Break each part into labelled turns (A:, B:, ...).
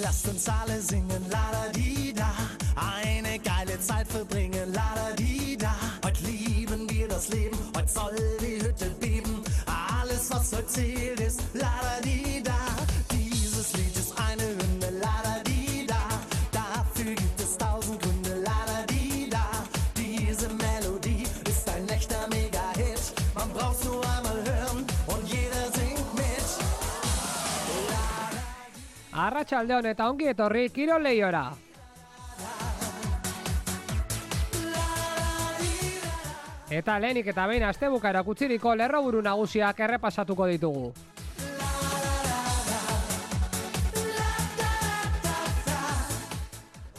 A: Lasst uns alle singen, la-da-di-da. Eine geile Zeit verbringen, la-da-di-da. Heute lieben wir das Leben, heute soll die Hütte beben. Alles, was heute zählt, ist la-da-di-da. Dieses Lied ist eine Hymne, la-da-di-da. Dafür gibt es 1000 Gründe, la-da-di-da. Diese Melodie ist ein echter Mega-Hit. Man braucht's nur einmal hören und jeder singt mit.
B: Arratsaldeon eta ongi etorri Kirol Lehiora. Eta lehenik eta behin astebukaera kutziriko lerroburu nagusiak errepasatuko ditugu.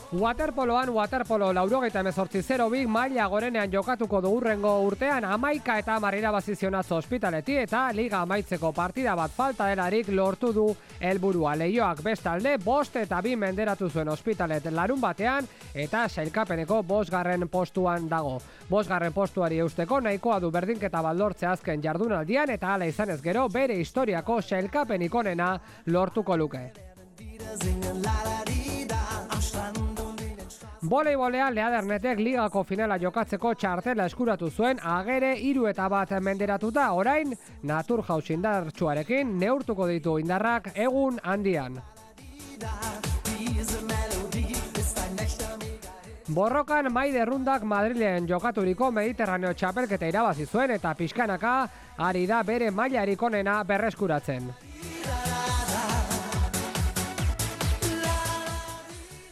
B: Waterpoloan waterpolo 98-0 maila gorenean jokatuko du hurrengo urtean 11 eta 10 irabazizionatzo Ospitaleti eta liga amaitzeko partida bat falta delarik lortu du helburua. Leioak bestalde 5 eta 2 menderatu zuen Ospitalet larun batean eta sailkapeneko 5. postuan dago. 5. postuari eusteko nahikoa du berdinketa bat lortzea azken jardunaldian eta hala izanez gero bere historiako sailkapenik onena lortuko luke. Voleibolean Leadernetek ligako finala jokatzeko txartela eskuratu zuen Agere 3 eta 1 menderatuta, orain Naturhaus indartsuarekin neurtuko ditu indarrak egun handian. Borrokan Maide Rundak Madrilen jokaturiko Mediterraneo txapelketa irabazi zuen eta pixkanaka ari da bere mailarik onena berreskuratzen.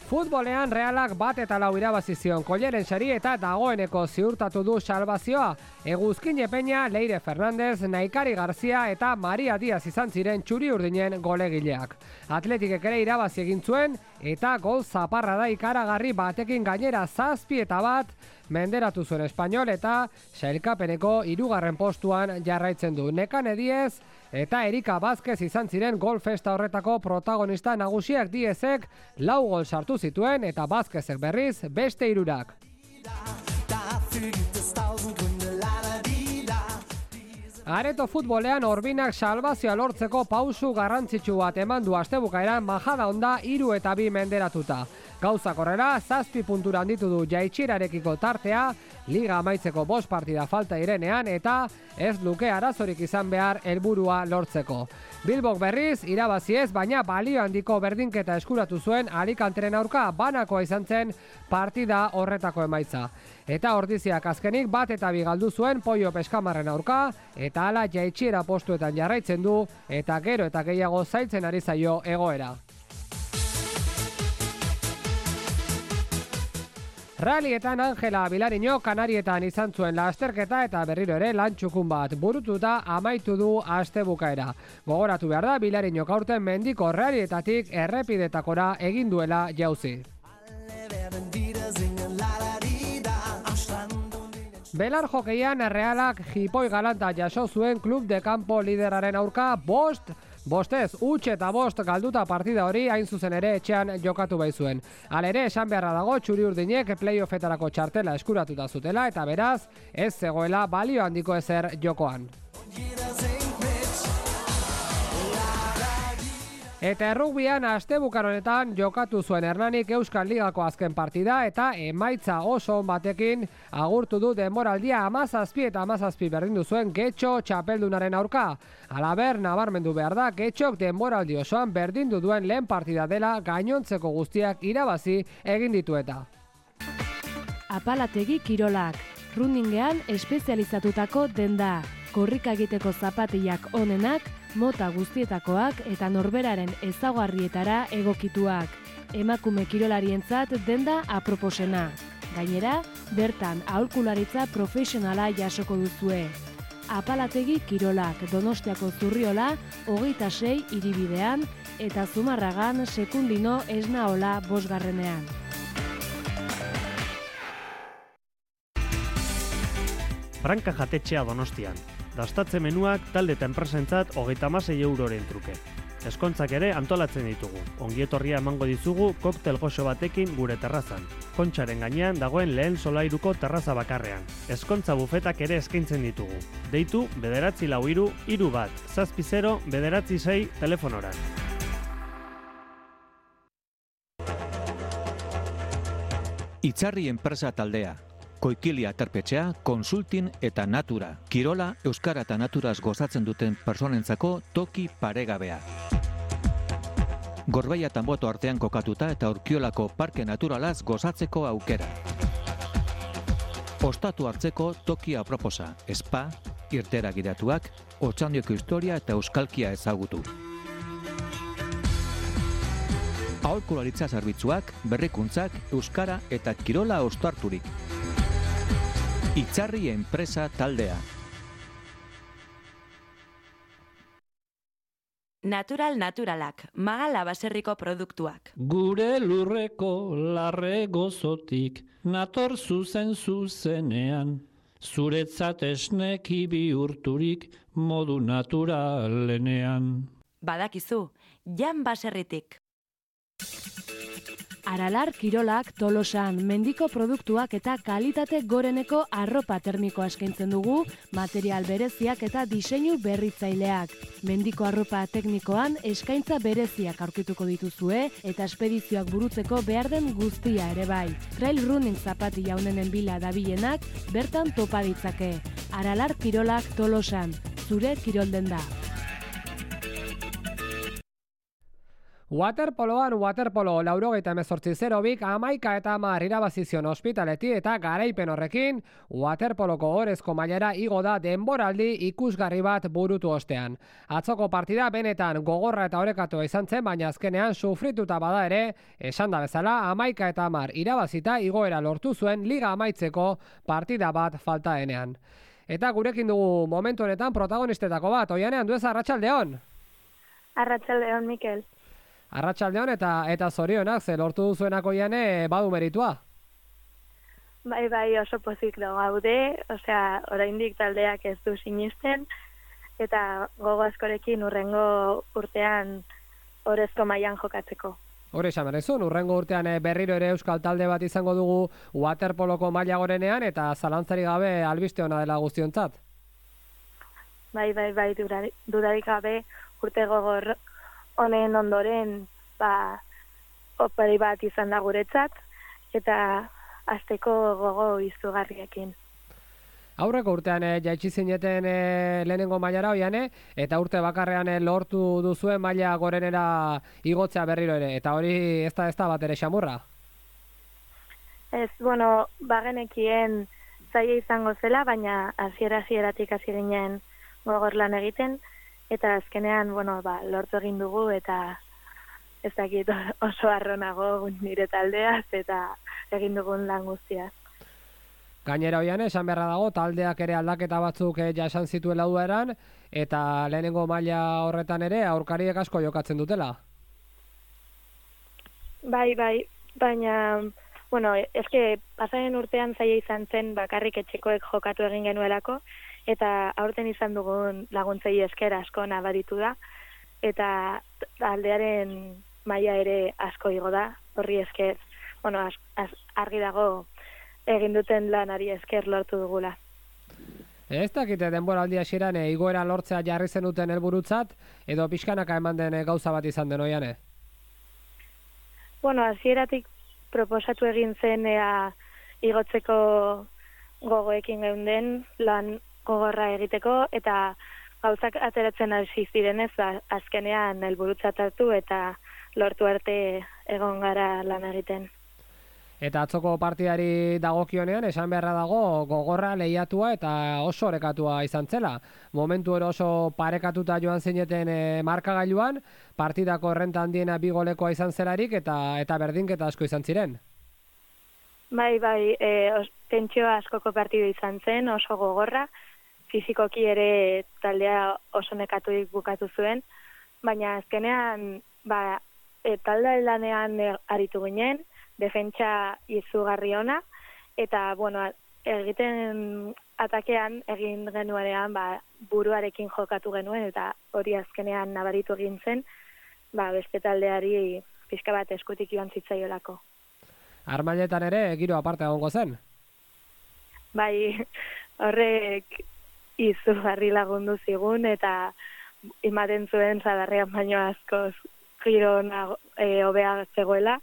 B: Futbolean Realak 1 eta 4 irabazi zion Kolleren sari eta dagoeneko ziurtatu du salbazioa. Eguzkin Epeña, Leire Fernandez, Naikari Garzia eta Maria Diaz izan ziren txuri-urdinen golegileak. Atletikek ere irabazi egin zuen eta gol zaparra da ikaragarri batekin gainera 7 eta 1 menderatu zuen Espainol eta sailkapeneko 3. postuan jarraitzen du. Nekane Diez eta Erika Vázquez izan ziren gol festa horretako protagonista nagusiak. Diezek 4 gol sartu zituen eta Vázquezek berriz beste 3. Areto futbolean Orbinak salbazioa lortzeko pausu garrantzitsu bat eman du astebukaeran Majadahonda 3 eta 2 menderatuta. Gauzak horrela, 7 puntura handitu du jaitsierarekiko tartea, liga amaitzeko 5 partida falta direnean eta ez luke arazorik izan behar helburua lortzeko. Bilbok berriz, irabazi ez, baina balio handiko berdinketa eskuratu zuen Alicanteren aurka banakoa izan zen partida horretako emaitza. Eta Ordiziak azkenik 1 eta 2 galdu zuen Poio Peskamarren aurka, eta hala jaitsiera postuetan jarraitzen du, eta gero eta gehiago zailtzen ari zaio egoera. Rallyetan Angela Bilariño Kanarietan izan zuen lasterketa eta berriro ere lantxukun bat burututa amaitu du astebukaera. Gogoratu behar da Bilariño aurten mendiko rallyetatik errepidetakora egin duela jauzi. Belar jokeian Realak jipoi galanta jaso zuen Club de Campo lideraren aurka 5-5 huts eta 5 galduta partida hori hain zuzen ere etxean jokatu baizuen. Halere esan beharra dago txuri-urdinek playoffetarako txartela eskuratuta zutela eta beraz ez zegoela balio handiko ezer jokoan. Eta errugbian astebukar honetan jokatu zuen Hernanik Euskal Ligako azken partida eta emaitza oso on batekin agurtu du denboraldia 17 eta 17 berdindu zuen Getxo txapeldunaren aurka. Halaber, nabarmendu behar da Getxok denboraldi osoan berdindu duen lehen partida dela gainontzeko guztiak irabazi egin ditu eta.
C: Apalategi kirolak, runningean espezializatutako denda, korrika egiteko zapatillak onenak, mota guztietakoak eta norberaren ezaugarrietara egokituak. Emakume kirolarientzat denda aproposena. Gainera, bertan aholkularitza profesionala jasoko duzue. Apalategi kirolak Donostiako Zurriola 26 hiribidean eta Zumarragan Sekundino Esnaola 5.
D: Franka jatetxea Donostian. Dastatze menuak talde eta enpresentzat 36 euroren truke. Eskontzak ere antolatzen ditugu. Ongietorria emango dizugu koktel goxo batekin gure terrazan. Kontxaren gainean dagoen lehen solairuko terraza bakarrean. Eskontza bufetak ere eskaintzen ditugu. Deitu 943 31 70 996 telefonoran.
E: Itzarri enpresa taldea, Koikili aterpetxea, Konsultin eta Natura, Kirola, Euskara eta Naturaz gozatzen duten personentzako toki paregabea. Gorbeia eta Boto artean kokatuta eta Urkiolako parke naturalaz gozatzeko aukera. Ostatu hartzeko toki aproposa, spa, irtera gidatuak, Otxandioko historia eta euskalkia ezagutu. Aholkularitza zerbitzuak, berrikuntzak, euskara eta kirola ostarturik. Itzarri enpresa taldea.
F: Naturalak, Magala baserriko produktuak.
G: Gure lurreko larre gozotik, nator zuzenean, zuretzat esneki bihurturik modu naturalenean.
F: Badakizu, Jan baserritik.
C: Aralar Kirolak Tolosan mendiko produktuak eta kalitate goreneko arropa termikoa eskaintzen dugu, material bereziak eta diseinu berritzaileak. Mendiko arropa teknikoan eskaintza bereziak aurkituko dituzue eta espedizioak burutzeko behar den guztia ere bai. Trail running zapatilla honenen bila dabilenak bertan topa ditzake. Aralar Kirolak Tolosan, zure kirolden da.
B: Waterpoloan waterpolo 98-0-bik 11 eta 10 irabazizion ospitaleti eta garaipen horrekin, waterpoloko orezko mailara igo da denboraldi ikusgarri bat burutu ostean. Atzoko partida benetan gogorra eta orekatua izan zen, baina azkenean sufrituta bada ere, esan da bezala 11 eta 10 irabazita igoera lortu zuen liga amaitzeko partida bat faltaenean. Eta gurekin dugu momentu honetan protagonistetako bat, Oianean duez arratsaldeon.
H: Arratsaldeon, Mikel.
B: Arratsaldeon eta zorionak, ze lortu duzuenako Oiane badu meritua.
H: Bai, oso pozik gaude, oraindik taldeak ez du sinisten, eta gogo askorekin urrengo urtean orezko mailan jokatzeko.
B: Hore esan berrezun, urrengo urtean berriro ere euskal talde bat izango dugu waterpoloko maila gorenean, eta zalantzarik gabe albiste ona dela guztiontzat.
H: Bai, dudarik gabe urte gogor honen ondoren, opari bat izan da guretzat, eta azteko gogo izugarriekin.
B: Aurreko urtean jaitsi zineten lehenengo mailara Oiane, eta urte bakarrean lortu duzuen maila gorenera igotzea berriro ere, eta hori ez da bat ere xamurra?
H: Ez, bagenekien zaila izango zela, baina hasieratik hasi ginen gogor lan egiten, eta azkenean, lortu egin dugu, eta ez dakit oso arronago nire taldeaz, eta egin dugun lan guztiaz.
B: Gainera Oiane, esan beharra dago, taldeak ere aldaketa batzuk jasan zituela dueran, eta lehenengo maila horretan ere aurkariek asko jokatzen dutela.
H: Bai, baina, eske pasaren urtean zaila izan zen bakarrik etxekoek jokatu egin genuelako, eta aurten izan dugun laguntzei esker asko nabaritu da, eta taldearen maila ere asko igo da, horri esker, argi dago egin duten lanari esker lortu dugula.
B: Ez dakite denboraldi hasieran igoera lortzea jarri zenuten helburutzat, edo pixkanaka eman den gauza bat izan den Oiane?
H: Hasieratik proposatu egin zen igotzeko gogoekin geunden lan gogorra egiteko, eta gauzak ateratzen hasi zirenez, azkenean helburutzat hartu eta lortu arte egon gara lan egiten.
B: Eta atzoko partidari dagokionean, esan beharra dago gogorra lehiatua eta oso orekatua izan zela. Momentu oso parekatuta joan zineten markagailuan, partidako errenta handiena 2 golekoa izan zelarik eta berdinketa asko izan ziren.
H: Bai, tentsio askoko partidu izan zen, oso gogorra, fizikoki ere taldea oso nekaturik bukatu zuen, baina azkenean talde lanean aritu ginen, defentsa izugarri ona, eta egiten atakean egin genuenean buruarekin jokatu genuen, eta hori azkenean nabaritu egin zen, beste taldeari pixka bat eskutik joan zitzaiolako.
B: Armailetan ere giro aparte egongo zen?
H: Bai, horrek izugarri lagundu zigun, eta ematen zuen zadarrean baino askoz giro hobea zegoela,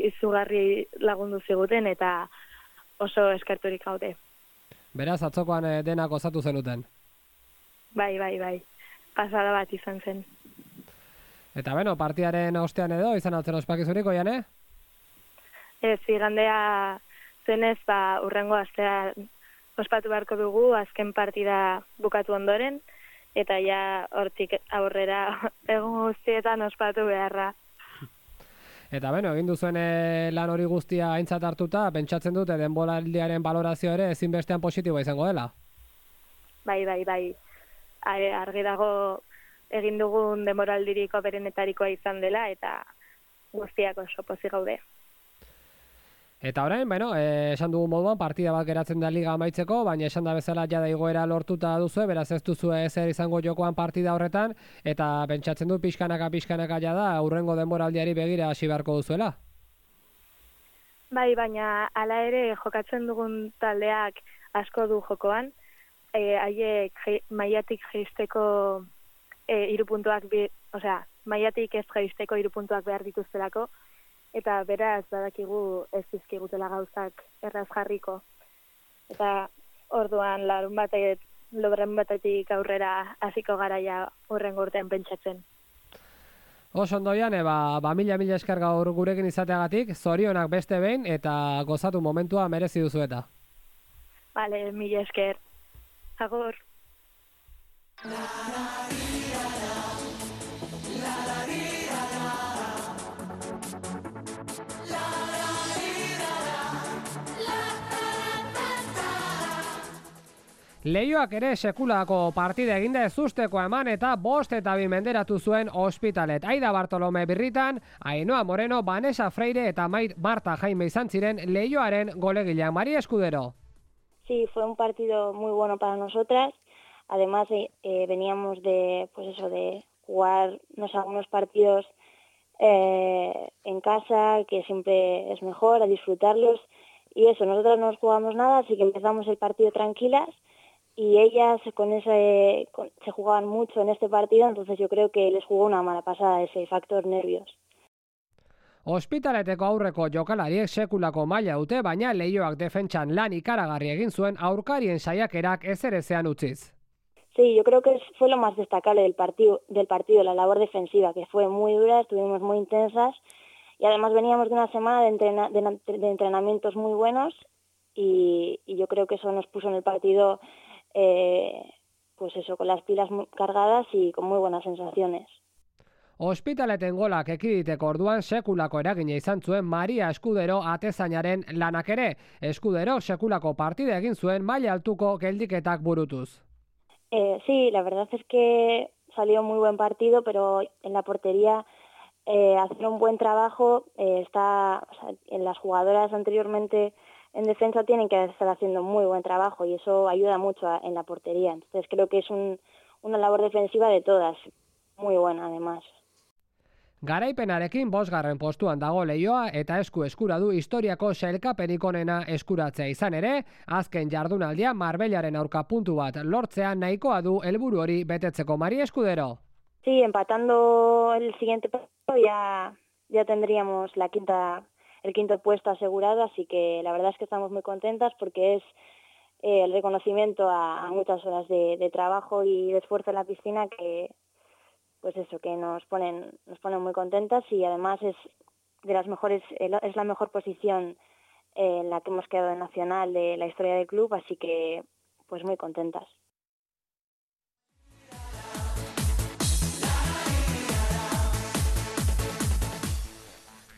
H: izugarri lagundu ziguten eta oso eskerturik gaude.
B: Beraz, atzokoan denak osatu zenuten.
H: Bai. Pasada bat izan zen.
B: Eta beno, partidaren ostean edo, izan altzen ospakizurik, Oiane?
H: Ez, igandea zenez, urrengo astea ospatu beharko dugu, azken partida bukatu ondoren, eta ja hortik aurrera egun guztietan ospatu beharra.
B: Eta beno, egin duzuen lan hori guztia aintzat hartuta, pentsatzen dute denboraldiaren balorazio ere ezinbestean positiboa izango dela?
H: Bai. Argi dago egin dugun denboraldirik oberenetarikoa izan dela, eta guztiak oso pozik gaude.
B: Eta orain, esan dugun moduan, partida bat geratzen da liga amaitzeko, baina esan da bezala jada igoera lortuta duzu, beraz ez duzu ezer izango jokoan partida horretan, eta pentsatzen du pixkanaka jada aurrengo denboraldiari begira hasi beharko duzuela.
H: Bai, baina hala ere jokatzen dugun taldeak asko du jokoan, haiek mailatik jaisteko 3 puntuak, mailatik ez jaisteko 3 puntuak behar dituztelako, eta beraz badakigu ez dizkigutela gauzak erraz jarriko. Eta orduan larun batetik aurrera hasiko garaia hurrengo urtean pentsatzen.
B: Oso ondo, Oiane, mila esker gaur gurekin izateagatik, zorionak beste behin eta gozatu momentua merezi duzu eta.
H: Vale, mila esker. Agur.
B: Leioak ere sekulako partida eginda ezusteko eman eta 5-2 menderatu zuen Ospitalet. Aida Bartolome birritan, Ainhoa Moreno, Vanessa Freire eta Marta Jaime izan ziren Leioaren golegilean. María Escudero.
I: Sí, fue un partido muy bueno para nosotras. Además, veníamos de jugarnos algunos partidos en casa, que siempre es mejor, a disfrutarlos. Y eso, nosotros no nos jugamos nada, así que empezamos el partido tranquilas. Y ellas se jugaban mucho en este partido, entonces yo creo que les jugó una mala pasada ese factor nervios.
B: Ospitaleteko aurreko jokalariek sekulako maila dute, baina Leioak defentsan lan ikaragarri egin zuen aurkarien saiakerak ezerezean utziz.
I: Sí, yo creo que fue lo más destacable del partido, la labor defensiva, que fue muy dura, estuvimos muy intensas y además veníamos de una semana de entrenamientos muy buenos y yo creo que eso nos puso en el partido con las pilas muy cargadas y con muy buenas sensaciones.
B: Ospitaleten golak ekiditeko orduan sekulako eragina izan zuen Maria Escudero atezainaren lanak ere. Escudero sekulako partida egin zuen maila altuko geldiketak burutuz.
I: Sí, la verdad es que salió muy buen partido, pero en la portería hacer un buen trabajo. En las jugadoras anteriormente en defensa tienen que estar haciendo muy buen trabajo y eso ayuda mucho en la portería. Entonces creo que es una labor defensiva de todas, muy buena además.
B: Garaipenarekin 5. postuan dago Leioa eta eskura du historiako sailkapenik onena eskuratzea izan ere, azken jardunaldia Marbellaren aurka puntu bat lortzea nahikoa du helburu hori betetzeko. María Escudero.
I: Sí, empatando el siguiente partido ya tendríamos el quinto puesto asegurado, así que la verdad es que estamos muy contentas porque es el reconocimiento a muchas horas de trabajo y de esfuerzo en la piscina que nos ponen muy contentas y además es la mejor posición en la que hemos quedado en nacional de la historia del club, así que pues muy contentas.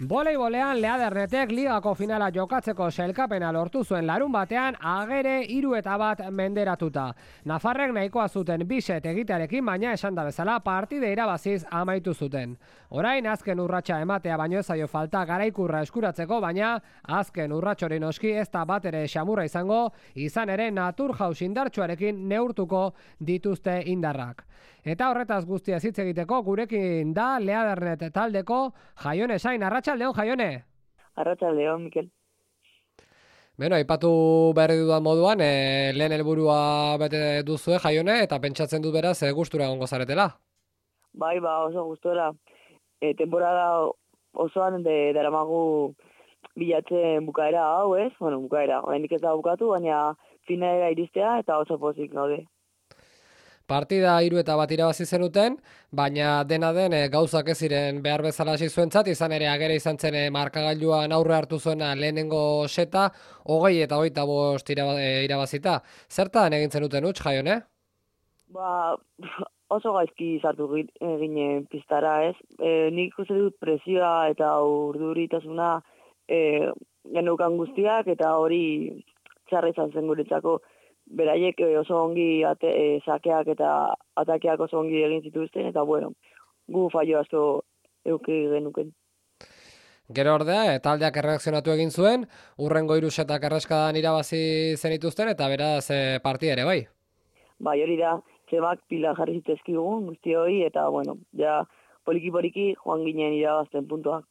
B: Voleibolean Leadernetek ligako finala jokatzeko sailkapena lortu zuen larun batean Agere 3-1 menderatuta. Nafarrek nahikoa zuten 2 set egitearekin, baina esan da bezala partide irabaziz amaitu zuten. Orain azken urratsa ematea baino ez zaio falta garaikurra eskuratzeko, baina azken urratxori noski ez da bat ere xamurra izan ere Naturhaus indartsuarekin neurtuko dituzte indarrak. Eta horretaz guztia hitz egiteko gurekin da Leadernet taldeko Jaione Sain. Arratsaldeon, Jaione.
J: Arratsaldeon, Mikel.
B: Beno, aipatu berri dudan moduan, lehen helburua bete duzue, Jaione, eta pentsatzen dut beraz gustura egongo zaretela.
J: Bai, oso gustura. Temporada osoan daramagu bilatzen bukaera hau, ez? Bueno, bukaera, oraindik ez da bukatu, baina finalera iristea eta oso pozik gaude.
B: Partida 3-1 irabazi zenuten, baina dena den gauzak ez ziren behar bezala hasi zuentzat, izan ere agera izan zen markagailuan aurre hartu zuena lehenengo seta, 20 eta 25 irabazita. Zertan egin zenuten huts, Jaione?
J: Ba, oso gaizki sartu ginen pistara, ez? Nik uste dut presioa eta urduritasuna geneukan guztiak, eta hori txarra izan zen guretzako. Beraiek oso ongi sakeak eta atakeak oso ongi egin zituzten, eta bueno, gu fallo asko euki genuken.
B: Gero ordea, taldeak erreakzionatu egin zuen, urrengo 3 setak erreskadan irabazi zenituzten, eta beraz partida ere, bai?
J: Bai, hori da, txemak pila jarri zitezkigun guzti hori, eta bueno, ja poliki-poliki joan ginen irabazten puntuak.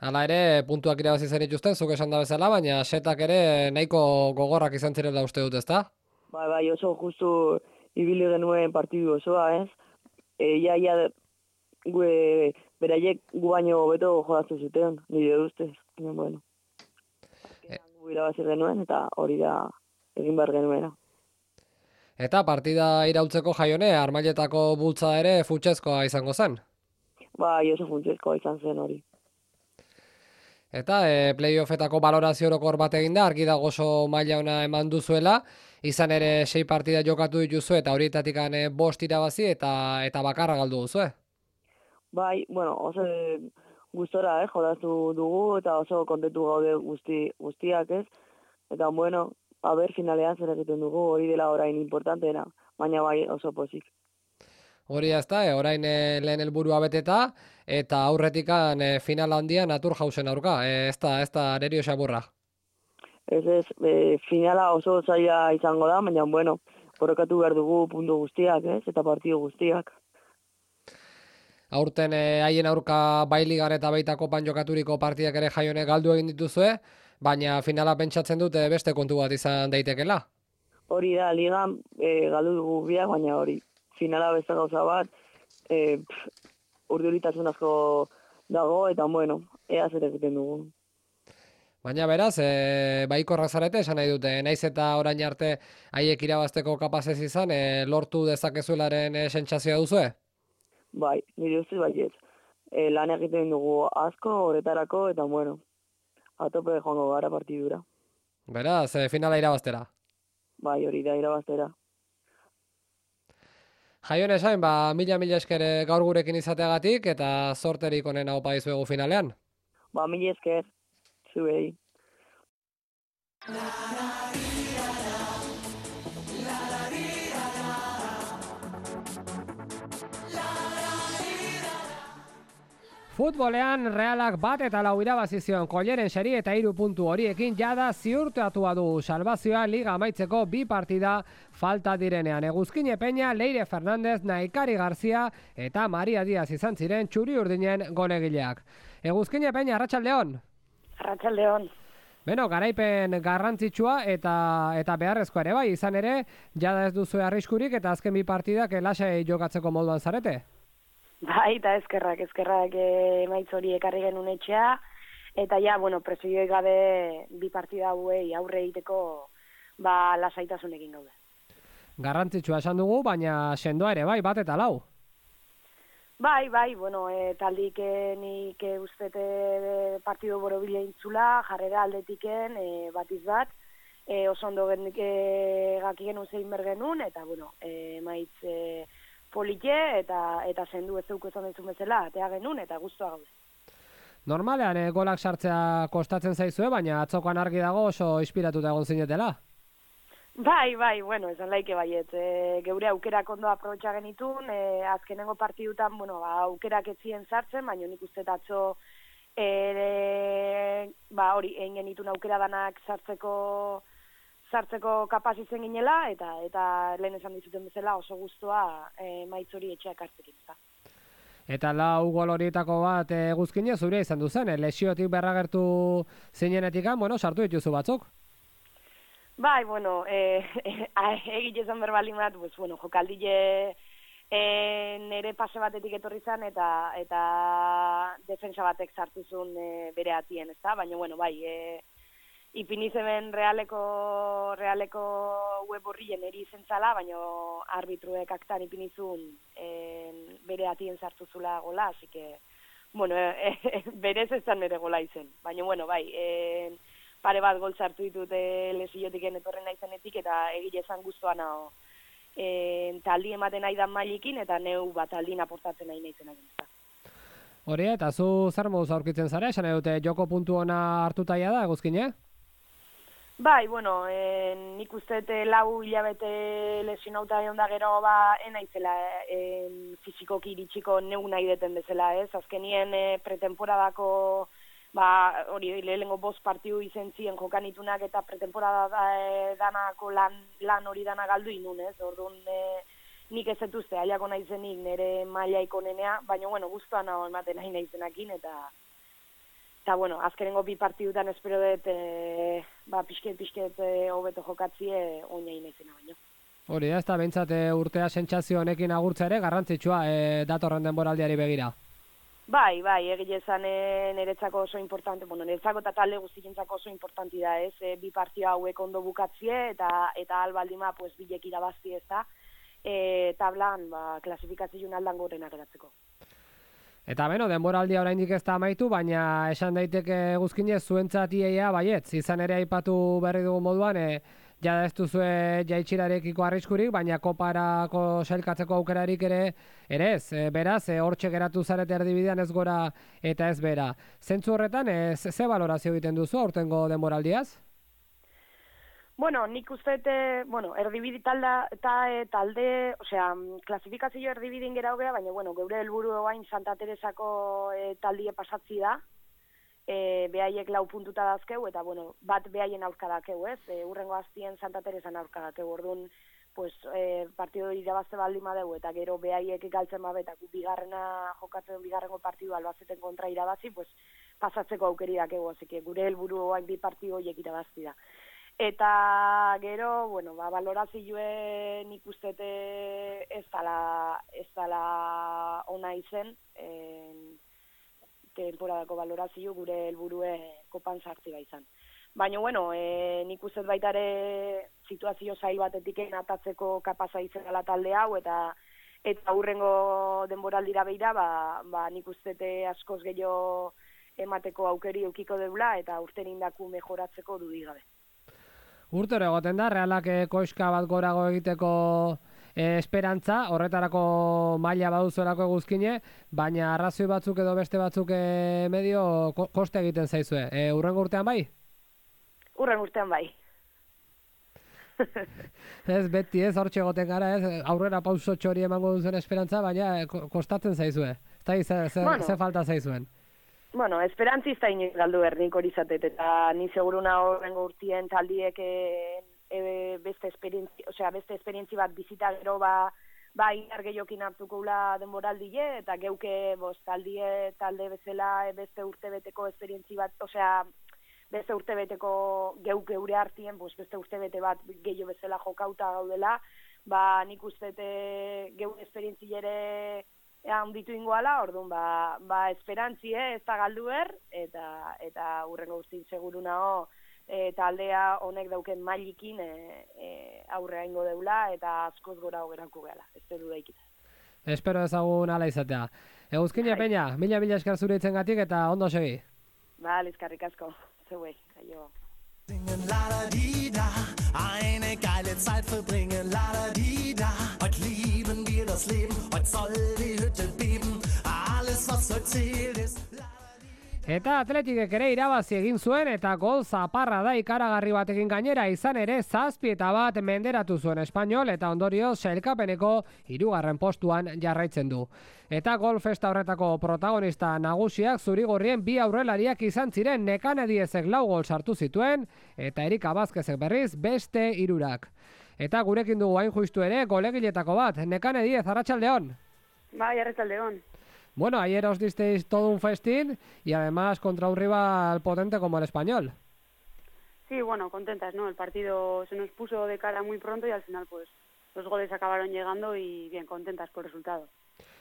B: Hala ere, puntuak irabazi zenituzten, zuk esan da bezala, baina setak ere nahiko gogorrak izan zirela uste dut, ezta?
J: Bai, oso justu ibili genuen partidu osoa, ez? Beraiek gu baino hobeto jodatu zuten, nire ustez. Bueno, gu irabazi genuen, eta hori da egin behar genuena.
B: Eta partida iraultzeko, Jaione, Armailetako bultza ere funtsezkoa izango zen?
J: Bai, oso funtsezkoa izan zen hori.
B: Eta playoffetako balorazio orokor bat egin da, argi dago oso maila ona eman duzuela, izan ere 6 partida jokatu dituzu eta horietatik 5 irabazi eta bakarra galdu duzu,
J: Bai, bueno, oso gustora, jodatu dugu eta oso kontentu gaude guztiak, ez? Eta bueno, finalean zer egiten dugu, hori dela orain importanteena, baina bai oso pozik.
B: Hori ez da, orain lehen helburua beteta, eta aurretikan final handia Naturhausen aurka, ez da Nerio Xaburra.
J: Ez, finala oso zaila izango da, baina bueno, borrokatu behar dugu puntu guztiak, ez? Eta partidu guztiak.
B: Aurten haien aurka bai ligan eta baita kopan jokaturiko partidak ere Jaione galdu egin dituzue, baina finala pentsatzen dute beste kontu bat izan daitekela.
J: Hori da, ligan galdu dugu biak, baina hori. Finala beste gauza bat, urduritasun asko dago, eta bueno, ea zer egiten dugu.
B: Baina beraz, baikorrak zarete, esan nahi dute, naiz eta orain arte haiek irabazteko kapazez izan, lortu dezakezuelaren sentsazioa duzue?
J: Bai, nire ustez baiet. Lan egiten dugu asko, horretarako, eta bueno, atope joango gara partidura.
B: Beraz, finala irabaztera?
J: Bai, hori da irabaztera.
B: Jaione esain, mila esker gaur gurekin izateagatik eta sorterik onena opa izuegu finalean.
J: Mila esker, zuei.
B: Futbolean Realak 1-4 irabazi zion Kolleren seri eta 3 puntu horiekin jada ziurtatua du salbazioa liga amaitzeko 2 partida falta direnean. Eguzkine Peña, Leire Fernandez, Naikari Garzia eta Maria Diaz izan ziren txuri urdinen golegileak. Eguzkine Peña, Arratsaldeon.
H: Arratsaldeon.
B: Beno, garaipen garrantzitsua eta beharrezkoa ere bai, izan ere, jada ez duzu arriskurik eta azken 2 partidak lasai jokatzeko moduan zarete.
H: Bai, eta eskerrak emaitz hori ekarri genuen etxea, eta ja, presioik gabe 2 partida hauei aurre egiteko lasaitasunekin gaude.
B: Garrantzitsua esan dugu, baina sendoa ere bai, 1-4.
H: Bai, taldik nik ustete partidu borobila intzula, jarrera aldetiken, batiz bat, oso ondo gaki genuen zein bergenun, eta emaitz polite eta sendu ez zeuk ezan dezun bezala, atea genuen eta guztua gaude.
B: Normalean golak sartzea kostatzen zaizue, baina atzokoan argi dago oso inspiratuta egon zinetela.
H: Bai, esan laike baiet. Geure aukerak ondo aprobetxa genitun, azkenengo partidutan, aukerak ez ziren sartzen, baina nik uste atzo hori, egin genitun aukera danak sartzeko kapaz izen ginela, eta lehen esan dizuten bezala oso guztua maitz hori etxeak hartzekin.
B: Eta 4 gol horietako bat Eguzkine zure izan duzen, lesiotik berragertu zinenetikan, sartu dituzu batzuk?
H: Bai, egite esan berbalimat, jokaldile
K: nere pase batetik etorri zen eta defensa batek sartu zuen bere atien, ezta? Baina, bueno, bai, ipini zeben realeko web horrien eri zentzala, baina arbitruek aktan ipini zuen bere atien sartu zula gola, así que, bueno, berez ez zen nere gola izen. Baina, bueno, bai, pare bat gol sartu ditut lesiotik etorren naizenetik eta egile zan guztuan hau. Taldi ematen nahi dan mailikin eta neu bat aldin aportatzen nahi nahizen agintza.
B: Hori, eta zu zer moduz aurkitzen zara, esan dute joko puntu ona hartutaia da, Eguzkine?
K: Bai, bueno, nik uste lau hilabete lesionauta egon da gero enaizela fizikoki iritsiko neu nahi deten bezala, ez? Azkenien pretemporadako hori lehenengo 5 partidu izen ziren jokanitunak eta pretemporada danako lan hori dana galdu inun, ez? Orduan nik ez zetuzte, aiako nahi zenik nire mailaiko nenea, baina, bueno, guztuan hau ematen nahi nahi zenakin, eta bueno, azkenengo 2 partidutan espero dut, pixket hobeto jokatzie oinai nahi zena baino.
B: Hori, ez da, behintzat urtea sentsazio honekin agurtza ere, garrantzitsua datorren denboraldiari begira.
K: Bai, egile zan niretzako oso importante, bueno, niretzako eta talde guztientzako oso importanti da, ez? 2 partida hauek ondo bukatzie eta albaldima pues bilek irabazti, ez da? Tablan, klasifikazioen aldan gorena geratzeko.
B: Eta beno, denboraldia oraindik ez da amaitu, baina esan daiteke Eguzkine zuentzat iaia baietz, izan ere aipatu berri dugun moduan, jada ez duzue jaitsirarekiko arriskurik, baina koparako sailkatzeko aukerarik ere ez. Beraz, hortxe geratu zarete erdibidean ez gora eta ez bera. Zentzu horretan, ze balorazio egiten duzu aurtengo denboraldiaz?
K: Bueno, nik uste, erdibidi talde, osea, klasifikazio erdibidin gera hogea, baina, bueno, geure helburu oain Santa Teresako taldie pasatzi da, behaiek 4 puntuta dazkeu, eta, bueno, bat behaien aurka dakeu, ez? Urrengo aztien Santa Teresan aurka dakeu, orduan, pues, partido irabazte baldin madeu, eta gero behaiek galtzen babetak bigarrena jokatzen bigarrengo partidu Albazeten kontra irabazi, pues, pasatzeko aukeri dakeu, azike, gure helburu oain 2 partidu horiek irabazti da. Eta gero, bueno, valorazioen ikustete ez dala ona izen, temporadako valorazio gure helburue kopan sartzi izan. Baina, bueno, nik uste baitare situazio zail batetik atatzeko kapaza izela talde hau, eta hurrengo denboraldira beira, nik uste askoz gehiago emateko aukeri eukiko deula, eta urten indaku mejoratzeko dudigabe.
B: Urtero egoten da, Realak koiska bat gorago egiteko esperantza, horretarako maila baduzuelako Eguzkine, baina arrazoi batzuk edo beste batzuk medio koste egiten zaizue. Urrengo urtean bai?
K: Urrengo urtean bai.
B: Ez beti ez, hortxe egoten gara, ez, aurrera pauso txori emango duzen esperantza, baina kostatzen zaizue. Ze falta zaizuen?
K: Bueno, esperantziz da inoiz galdu ernik hori zatet, eta ni seguruna horrengo urtien taldiek beste esperientzi bat bizita gero inar gehiokin hartuko ula denboraldie, eta geuke talde bezala beste urtebeteko esperientzi bat, beste urtebeteko geure hartien, beste urtebete bat gehiago bezala jokauta gaudela, nik uste geure esperientzi ere handitu ingoala, orduan, esperantzie ez da galdu eta hurrengo guztin seguruna taldea honek dauken mailikin aurrea ingo deula, eta askoz gora hogerako gehala, ez du daikita.
B: Espero ezagun ala izatea. Eguzkine Peña, mila esker zure itzengatik eta ondo segi.
K: Eskerrik asko, zeuei, aio.
A: Singen la-da-di-da, eine geile Zeit verbringen, la-da-di-da. Heute lieben wir das Leben, heute soll die Hütte beben, alles was heute zählt ist.
B: Eta Atletikek ere irabazi egin zuen eta gol zaparra da ikaragarri batekin gainera, izan ere 7-1 menderatu zuen Espainol eta ondorioz sailkapeneko 3. postuan jarraitzen du. Eta gol festa horretako protagonista nagusiak zurigorrien 2 aurrelariak izan ziren, Nekane Diezek 4 gol sartu zituen eta Erika Vázquezek berriz beste 3. Eta gurekin dugu hain justu ere golegiletako bat, Nekane Diez, arratsaldeon.
L: Bai, arratsaldeon.
B: Bueno, ayer os disteis todo un festín y además contra un rival potente como el Español.
L: Sí, bueno, contentas, ¿no? El partido se nos puso de cara muy pronto y al final pues los goles acabaron llegando y bien, contentas por el resultado.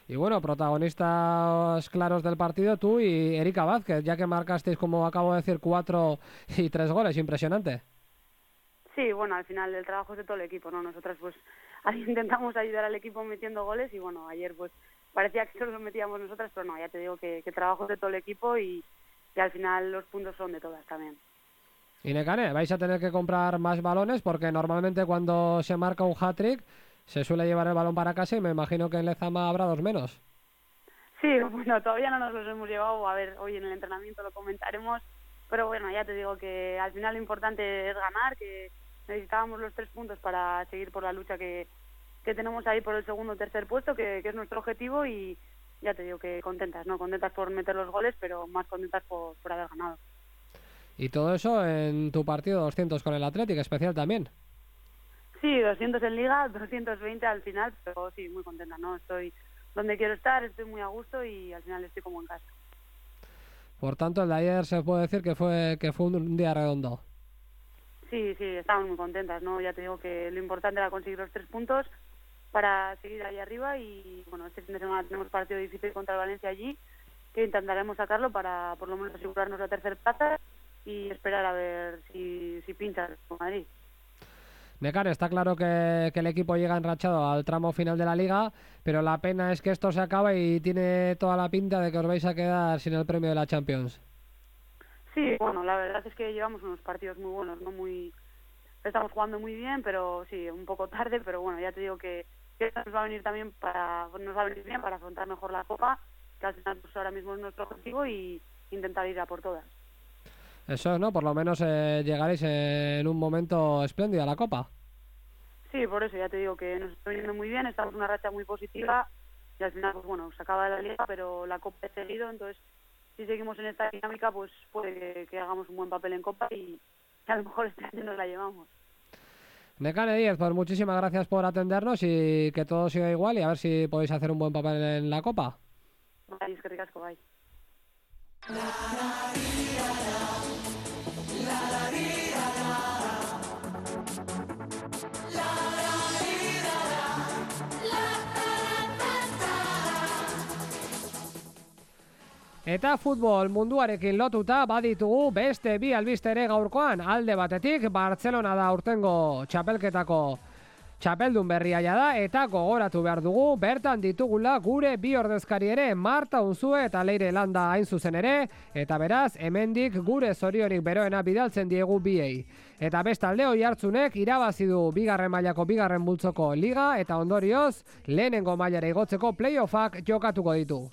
B: Y bueno, protagonistas claros del partido, tú y Erika Vázquez, ya que marcasteis, como acabo de decir, 4 y 3 goles, impresionante.
L: Sí, bueno, al final el trabajo es de todo el equipo, ¿no? Nosotras pues ahí intentamos ayudar al equipo metiendo goles y bueno, ayer pues parecía que solo los metíamos nosotras, pero no, ya te digo que trabajo es de todo el equipo y al final los puntos son de todas también.
B: Y Nekane, vais a tener que comprar más balones porque normalmente cuando se marca un hat-trick se suele llevar el balón para casa y me imagino que en Lezama habrá 2 menos.
L: Sí, bueno, todavía no nos los hemos llevado, a ver, hoy en el entrenamiento lo comentaremos, pero bueno, ya te digo que al final lo importante es ganar, que necesitábamos los 3 puntos para seguir por la lucha que tenemos ahí por el segundo o tercer puesto, que es nuestro objetivo y ya te digo que contentas, ¿no? Contentas por meter los goles, pero más contentas por haber ganado.
B: Y todo eso en tu partido 200 con el Athletic, especial también.
L: Sí, 200 en Liga, 220 al final, pero sí, muy contenta, ¿no? Estoy donde quiero estar, estoy muy a gusto y al final estoy como en casa.
B: Por tanto, el de ayer se puede decir que fue un día redondo.
L: Sí, estamos muy contentas, ¿no? Ya te digo que lo importante era conseguir los 3 puntos para seguir ahí arriba y, bueno, este fin de semana tenemos partido difícil contra el Valencia allí, que intentaremos sacarlo para por lo menos asegurarnos la tercera plaza y esperar a ver si pincha con Madrid.
B: Nekane, está claro que el equipo llega enrachado al tramo final de la Liga, pero la pena es que esto se acaba y tiene toda la pinta de que os vais a quedar sin el premio de la Champions.
L: Sí, bueno, la verdad es que llevamos unos partidos muy buenos, no estamos jugando muy bien, pero sí, un poco tarde, pero bueno, ya te digo que nos va a venir también bien para afrontar mejor la Copa, que al final pues ahora mismo es nuestro objetivo y intentar ir a por todas.
B: Eso es, ¿no? Por lo menos llegaréis en un momento espléndido a la Copa.
L: Sí, por eso ya te digo que nos está viniendo muy bien, estamos en una racha muy positiva y al final, pues bueno, se acaba la Liga, pero la Copa es seguido, entonces si seguimos en esta dinámica, pues puede que hagamos un buen papel en Copa y a lo mejor este año nos la llevamos.
B: Nekane Díez, pues muchísimas gracias por atendernos y que todo siga igual y a ver si podéis hacer un buen papel en la Copa.
L: Bai, eskerrik asko, bai.
B: Eta futbol munduarekin lotuta baditugu beste bi albiste ere gaurkoan. Alde batetik Bartzelona da urtengo txapelketako txapeldun berria da eta gogoratu behar dugu bertan ditugula gure bi ordezkari ere, Marta Unzue eta Leire Landa hain zuzen ere, eta beraz hemendik gure zoriorik beroena bidaltzen diegu biei. Eta bestalde Oiartzunek irabazi du bigarren mailako bigarren multzoko liga eta ondorioz lehenengo mailara igotzeko playoffak jokatuko ditu.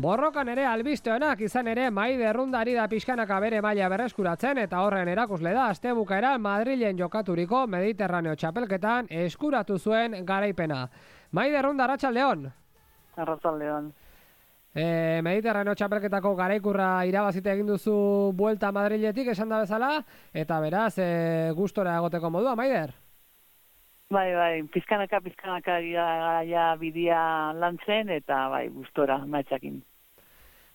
B: Borrokan ere albiste onak izan ere Maide Errundari da pixkanaka bere maila berreskuratzen eta horren erakusle da astebukaera Madrilen jokaturiko Mediterraneo txapelketan eskuratu zuen garaipena. Maide Errunda, arratsaldeon.
J: Arratsaldeon.
B: Mediterraneo txapelketako garaikurra irabazite egin duzu buelta Madriletik esan da bezala eta beraz gustora egoteko modua, Maider?
J: Bai, pizkanaka ja bidia lantzen eta bai, gustora maitzakin.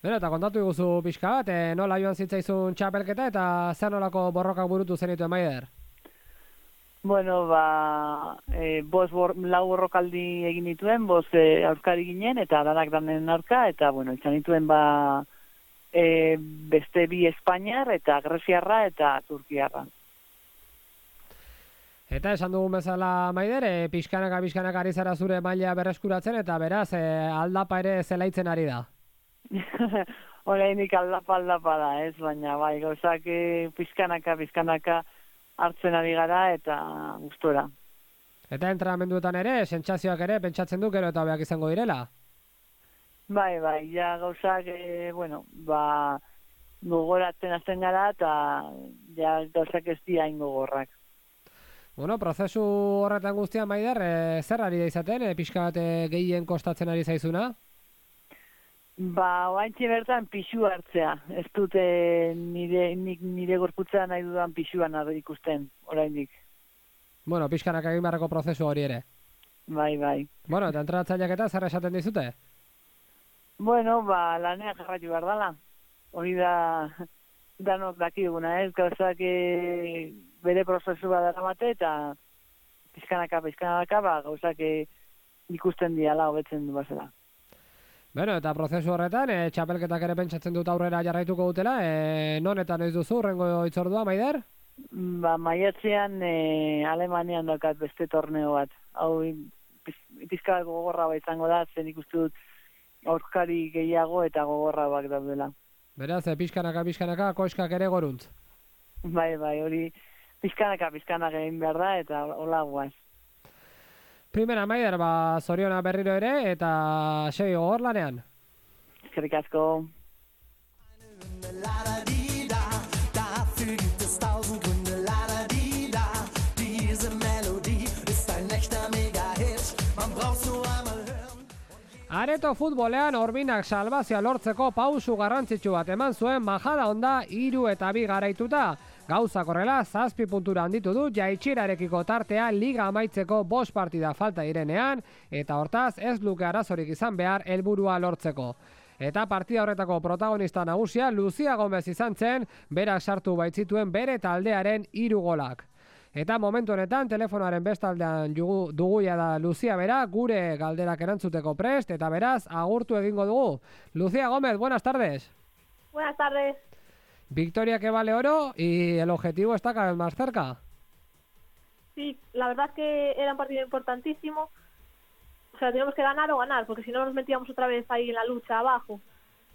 B: Beno, eta kontatu iguzu pixka bat, nola joan zitzaizun txapelketa eta zer nolako borrokak burutu zenituen, Maider?
J: Bueno, lau borrokaldi egin dituen, aurkari ginen eta danak danen aurka, eta bueno, izan dituen beste bi Espainiar eta Greziarra eta Turkiarra.
B: Eta esan dugun bezala, Maider, pixkanaka ari zara zure maila berreskuratzen eta beraz aldapa ere zelaitzen ari da.
J: Horreinik aldapa da, ez, baina bai, gauzak pixkanaka hartzen ari gara eta gustora.
B: Eta entrenamenduetan ere, sentsazioak ere, pentsatzen du gero eta hobeak izango direla?
J: Bai, ja gauzak, gogoratzen hasten gara eta ja gauzak ez dira ingogorrak.
B: Bueno, prozesu horretan guztian, Maider, zer ari da izaten, pixka bat gehien kostatzen ari zaizuna?
J: Oaintxe bertan pixu hartzea. Ez dute nire gorputza nahi dudan pixuan ikusten, oraindik.
B: Bueno, pixkanak egin beharreko prozesu hori ere.
J: Bai.
B: Bueno, eta entrenatzaileak eta zer esaten dizute?
J: Bueno, lanean jarraitu behar dala. Hori da, danok dakiguna, ez? Gauzak bere prozesu bat daramate eta pizkanaka, gauzak ikusten diala, hobetzen du bazela.
B: Bueno, eta prozesu horretan, txapelketak ere pentsatzen dut aurrera jarraituko dutela, non eta noiz duzu, rengo itzordua, Maider?
J: Maiatzean Alemanian daukat beste torneo bat. Hau, pizka gogorra izango da, zen ikustu dut aurkari gehiago eta gogorra bak daudela.
B: Beraz, pizkanaka, koiskak ere goruntz.
J: Bai, hori pizkanaka egin behar da eta hola guaz.
B: Primera, Maider, zoriona berriro ere eta segi gogor lanean.
J: Eskerrik asko.
A: Dafür gibt es 1000 Gründe, la-da-di-da. Diese Melodie ist ein echter Mega-Hit. Man braucht's nur einmal hören.
B: Areto futbolean Orbinak salbazioa lortzeko pausu garrantzitsu bat eman zuen Majada Onda 3 eta 2 garaituta. Gauzak horrela 7 puntura handitu du jaitsirarekiko tartea liga amaitzeko 5 partida falta direnean eta hortaz ez luke arazorik izan behar helburua lortzeko. Eta partida horretako protagonista nagusia Lucia Gomez izan zen, berak sartu baitzituen bere taldearen 3 golak. Eta momentu honetan telefonoaren bestaldean dugu da Lucia bera, gure galderak erantzuteko prest, eta beraz agurtu egingo dugu. Lucia Gómez, buenas tardes.
M: Buenas tardes.
B: Victoria que vale oro y el objetivo está cada vez más cerca.
M: Sí, la verdad es que era un partido importantísimo. O sea, teníamos que ganar o ganar, porque si no nos metíamos otra vez ahí en la lucha abajo.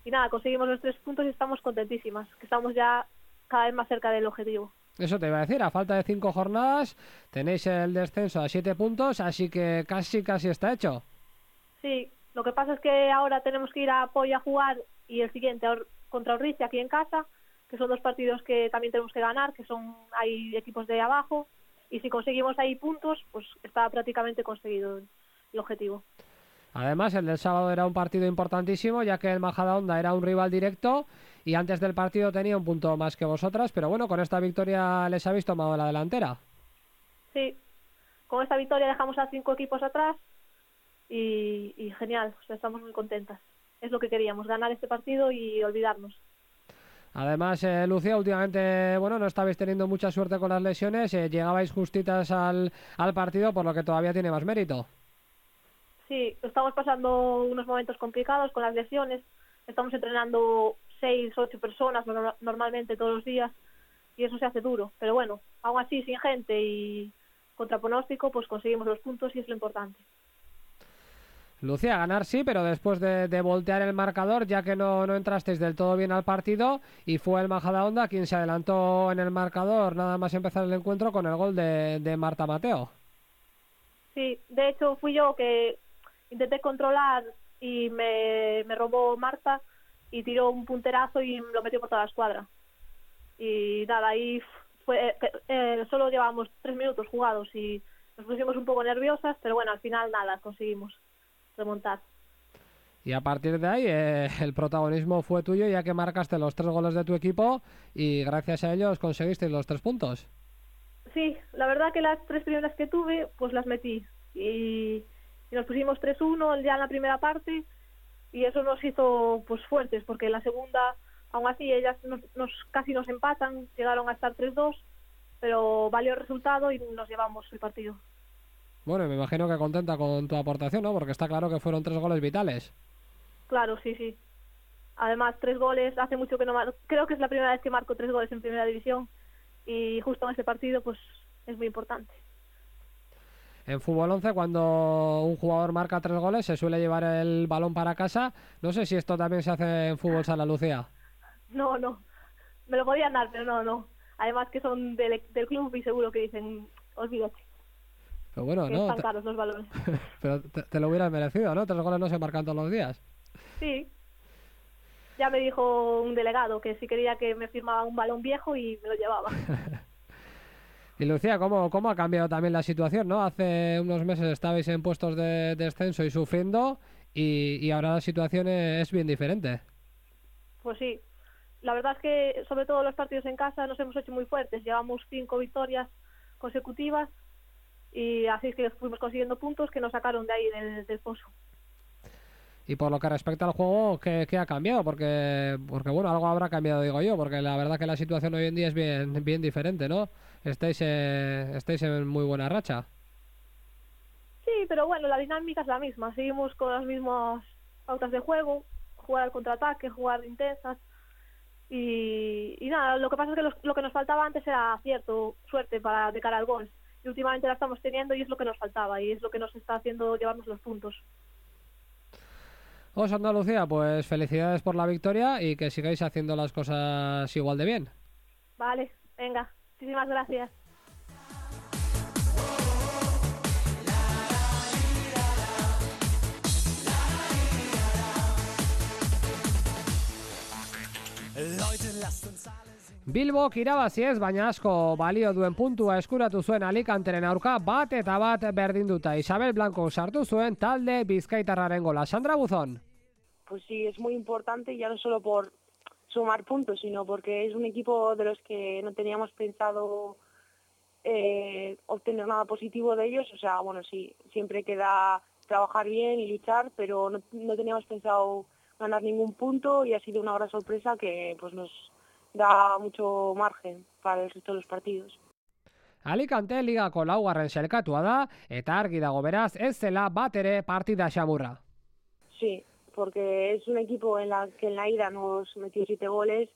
M: Y nada, conseguimos los 3 puntos y estamos contentísimas, que estamos ya cada vez más cerca del objetivo.
B: Eso te iba a decir, a falta de 5 jornadas tenéis el descenso a 7 puntos, así que casi está hecho.
M: Sí, lo que pasa es que ahora tenemos que ir a Poy a jugar y el siguiente contra Orricia aquí en casa, que son 2 partidos que también tenemos que ganar, que hay equipos de abajo, y si conseguimos ahí puntos, pues está prácticamente conseguido el objetivo.
B: Además, el del sábado era un partido importantísimo, ya que el Majadahonda era un rival directo y antes del partido tenía un punto más que vosotras, pero bueno, con esta victoria les habéis tomado la delantera.
M: Sí, con esta victoria dejamos a 5 equipos atrás y genial, o sea, estamos muy contentas. Es lo que queríamos, ganar este partido y olvidarnos.
B: Además, Lucía, últimamente, bueno, no estabais teniendo mucha suerte con las lesiones, llegabais justitas al partido, por lo que todavía tiene más mérito.
M: Sí, estamos pasando unos momentos complicados con las lesiones. Estamos entrenando 6, 8 personas normalmente todos los días y eso se hace duro. Pero bueno, aún así, sin gente y contra pronóstico, pues conseguimos los puntos y es lo importante.
B: Lucía, ganar sí, pero después de voltear el marcador, ya que no entrasteis del todo bien al partido y fue el Majadahonda quien se adelantó en el marcador nada más empezar el encuentro con el gol de Marta Mateo.
M: Sí, de hecho fui yo que intenté controlar y me robó Marta y tiró un punterazo y lo metió por toda la escuadra. Y nada, ahí solo llevábamos 3 minutos jugados y nos pusimos un poco nerviosas, pero bueno, al final nada, conseguimos remontar.
B: Y a partir de ahí el protagonismo fue tuyo, ya que marcaste los 3 goles de tu equipo y gracias a ellos conseguisteis los 3 puntos.
M: Sí, la verdad que las 3 primeras que tuve, pues las metí y nos pusimos 3-1 ya en la primera parte y eso nos hizo pues fuertes, porque en la segunda, aún así, ellas casi nos empatan, llegaron a estar 3-2, pero valió el resultado y nos llevamos el partido.
B: Bueno, me imagino que contenta con tu aportación, ¿no? Porque está claro que fueron 3 goles vitales.
M: Claro, sí. Además, 3 goles, hace mucho que no creo que es la primera vez que marco 3 goles en primera división y justo en este partido pues es muy importante.
B: En fútbol 11, cuando un jugador marca 3 goles, se suele llevar el balón para casa. No sé si esto también se hace en fútbol sala, Lucía.
M: No. Me lo podían dar, pero no. Además que son del club y seguro que dicen, olvídate.
B: Pero bueno,
M: que están caros los balones.
B: Pero te lo hubieras merecido, ¿no? 3 goles no se marcan todos los días.
M: Sí. Ya me dijo un delegado que si quería que me firmaba un balón viejo y me lo llevaba.
B: Y Lucía, ¿cómo ha cambiado también la situación, ¿no? Hace unos meses estabais en puestos de descenso y sufriendo y ahora la situación es bien diferente.
M: Pues sí, la verdad es que sobre todo los partidos en casa nos hemos hecho muy fuertes. Llevamos 5 victorias consecutivas y así es que fuimos consiguiendo puntos que nos sacaron de ahí del pozo.
B: Y por lo que respecta al juego, ¿qué ha cambiado? Porque bueno, algo habrá cambiado, digo yo, porque la verdad que la situación hoy en día es bien diferente, ¿no? Estáis en muy buena racha.
M: Sí, pero bueno, la dinámica es la misma. Seguimos con las mismas pautas de juego, jugar al contraataque, jugar intensas. Y nada, lo que pasa es que lo que nos faltaba antes era acierto, suerte de cara al gol. Y últimamente la estamos teniendo y es lo que nos faltaba y es lo que nos está haciendo llevarnos los puntos.
B: Os Andalucía, pues felicidades por la victoria y que sigáis haciendo las cosas igual de bien.
M: Vale, venga, muchísimas gracias.
B: Bilbok irabazi ez, baina asko balio duen puntua eskuratu zuen Alicanteren aurka bat berdinduta. Isabel Blanco sartu zuen talde bizkaitarraren gola. Sandra Buzón.
J: Pues sí, es muy importante ya no solo por sumar puntos, sino porque es un equipo de los que no teníamos pensado obtener nada positivo de ellos. O sea, bueno, sí, siempre queda trabajar bien y luchar, pero no teníamos pensado ganar ningún punto y ha sido una gran sorpresa que pues nos da mucho margen para el resto de los partidos.
B: Alicante ligako laugarren selkatua da eta argi dago beraz ez zela bat ere partida xamurra.
J: Sí, porque es un equipo en la que en la ida nos metió 7 goles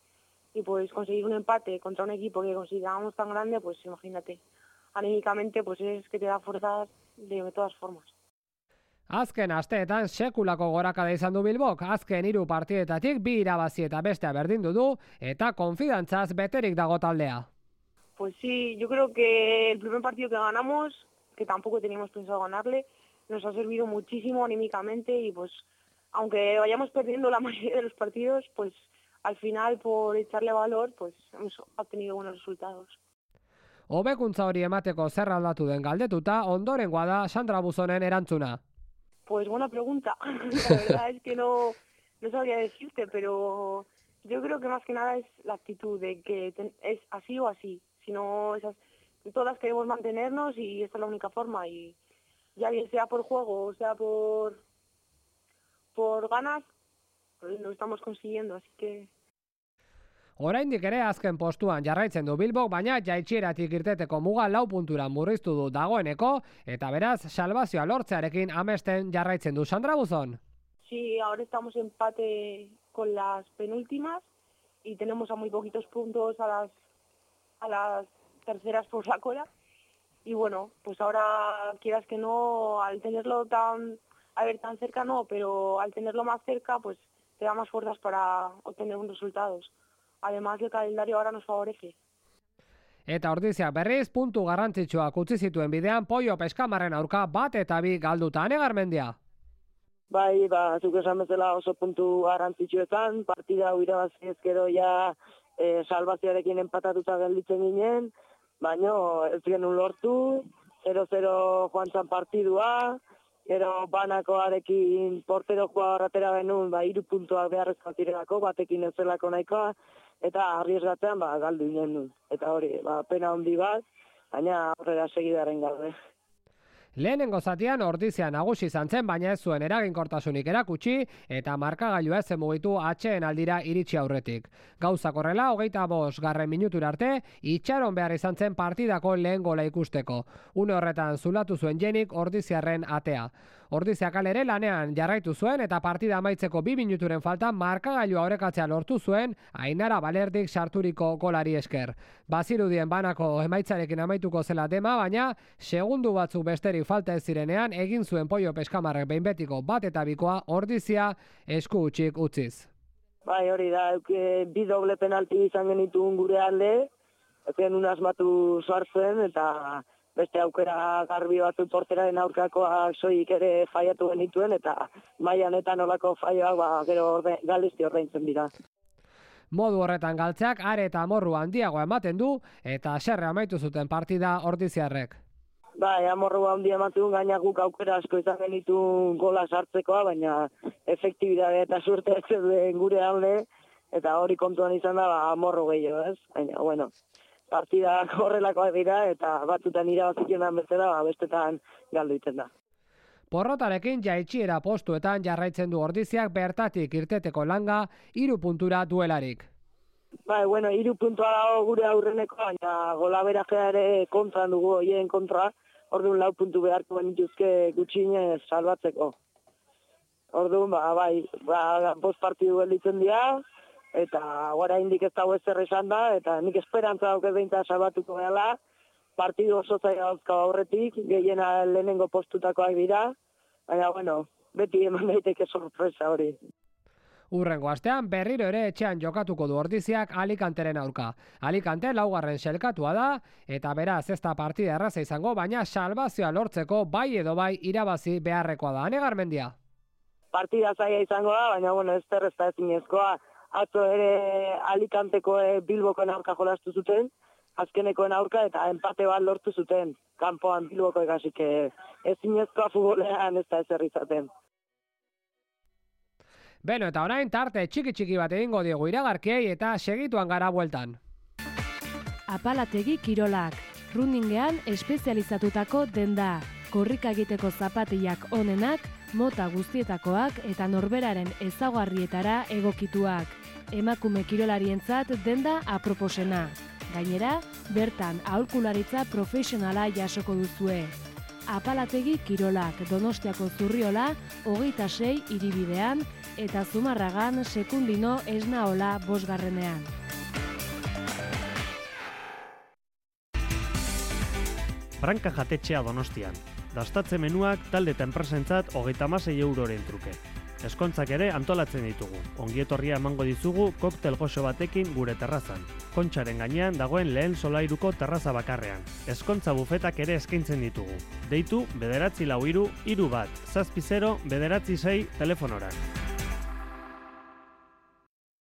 J: y pues conseguir un empate contra un equipo que considerábamos tan grande, pues imagínate, anímicamente pues es que te da fuerzas de todas formas.
B: Azken asteetan sekulako gorakada izan du Bilbok, azken 3 partidetatik 2 irabazi eta bestea berdindu du eta konfidantzaz beterik dago taldea.
J: Pues sí, yo creo que el primer partido que ganamos, que tampoco teníamos pensado ganarle, nos ha servido muchísimo anímicamente y pues aunque vayamos perdiendo la mayoría de los partidos, pues al final por echarle valor, pues hemos obtenido buenos resultados.
B: Hobekuntza hori emateko zer aldatu den galdetuta, ondorengoa da Sandra Buzonen erantzuna.
J: Pues buena pregunta. La verdad es que no sabría decirte, pero yo creo que más que nada es la actitud de que es así o así. Si no, todas queremos mantenernos y esta es la única forma. Y ya bien sea por juego o sea por ganas, pues lo estamos consiguiendo, así que...
B: Oraindik ere azken postuan jarraitzen du Bilbok, baina jaitsieratik irteteko muga 4 puntura murriztu du dagoeneko, eta beraz salbazioa lortzearekin amesten jarraitzen du. Sandra Buzón.
J: Sí, ahora estamos en empate con las penúltimas y tenemos a muy poquitos puntos a las terceras por la cola. Y bueno, pues ahora quieras que no, al tenerlo tan cerca no, pero al tenerlo más cerca, pues te da más fuerzas para obtener buenos resultados. Además, el calendario ahora nos favorece.
B: Eta Ordiziak berriz, puntu garrantzitsuak utzi zituen bidean Poio Peskamarren aurka 1-2 galduta. Ane Garmendia.
N: Bai, zuk esan bezala oso puntu garrantzitsuetan, partida hau irabazi ezkero ja salbazioarekin empatatuta gelditzen ginen, baina ez genuen lortu, 0-0 joan zan partidua, gero banakoarekin portero jugador atera genuen, 3 puntuak beharrezkoak direlako, batekin ez zelako nahikoa, eta arriesgatzean galdu ginen du. Eta hori, pena handi bat, baina aurrera segidaren gaude.
B: Lehenengo zatian Ordizia nagusi izan zen, baina ez zuen eraginkortasunik erakutsi eta markagailua ez zen mugitu atxeen aldira iritsi aurretik. Gauzak horrela, 25. minutura arte, itxaron behar izan zen partidako lehen gola ikusteko. Une horretan zulatu zuen Jenik Ordiziarren atea. Ordizia kalere lanean jarraitu zuen eta partida amaitzeko 2 minuturen faltan markagailua orekatzea lortu zuen Ainara Balerdik sarturiko golari esker. Bazirudien banako emaitzarekin amaituko zela dema, baina segundu batzuk besterik falta ez zirenean egin zuen Poio Peskamarrek behin betiko 1-2 Ordizia esku utxik utziz.
N: Bai, hori da, 2 doble penalti izan genituen gure alde, ezken asmatu sartzen eta beste aukera garbi batzu porteraren aurkakoa soilik ere faiatu genituen eta mailan eta nolako faioak gero galesti ordaintzen dira.
B: Modu horretan galtzeak are eta amorru handiagoa ematen du eta haserre amaitu zuten partida Ordiziarrek.
N: Bai, amorru handia ematen gaina guk aukera asko izan genituen gola sartzekoa, baina efektibidade eta suerte ez den gure alde eta hori kontuan izan da amorru gehiago, ez? Baina, bueno, partidak horrelakoak dira, eta batzutan irabazikenan bezala, bestetan galdu iten da.
B: Porrotarekin jaitsiera postuetan jarraitzen du Ordiziak bertatik irteteko langa 3 puntura duelarik.
N: Bai, bueno, 3 puntua dago gure aurreneko, baina golaberatzea ere kontran dugu, hoien kontra, orduan 4 puntu beharko benituzke gutxinez salbatzeko. Orduan, bai, 5 partidu gelditzen dira, eta oraindik ez dago ezer esan da, eta nik esperantza dauket behintzat salbatuko dela, partidu oso zaila dauzka aurretik, gehiena lehenengo postutakoak dira, baina, bueno, beti eman daiteke sorpresa hori.
B: Urrengo astean berriro ere etxean jokatuko du Ordiziak Alicanteren aurka. Alicante 4. sailkatua da, eta beraz ez da partida erraza izango, baina salbazioa lortzeko bai edo bai irabazi beharrekoa da. Ane Garmendia?
N: Partida zaila izango da, baina, bueno, ez da ezinezkoa. Atzo ere Alicanteko Bilbokoen aurka jolastu zuten, azkenekoen aurka eta empate bat lortu zuten, kanpoan Bilbokoek, hasik ezinezkoa futbolean ez da ezer izaten.
B: Beno, eta orain tarte txiki bat egingo diegu iragarkiei eta segituan gara bueltan.
C: Apalategi kirolak, runningean espezializatutako denda, korrika egiteko zapatiak onenak, mota guztietakoak eta norberaren ezaugarrietara egokituak. Emakume kirolarientzat denda aproposena. Gainera, bertan aholkularitza profesionala jasoko duzue. Apalategi kirolak Donostiako Zurriola 26 hiribidean eta Zumarragan Sekundino Esnaola 5.
D: Branka jatetxea Donostian. Dastatze menuak talde eta enpresentzat 36 euroren truke. Eskontzak ere antolatzen ditugu. Ongietorria emango dizugu koktel goxo batekin gure terrazan. Kontxaren gainean dagoen lehen solairuko terraza bakarrean. Eskontza bufetak ere eskaintzen ditugu. Deitu 943 31 70996 telefonora.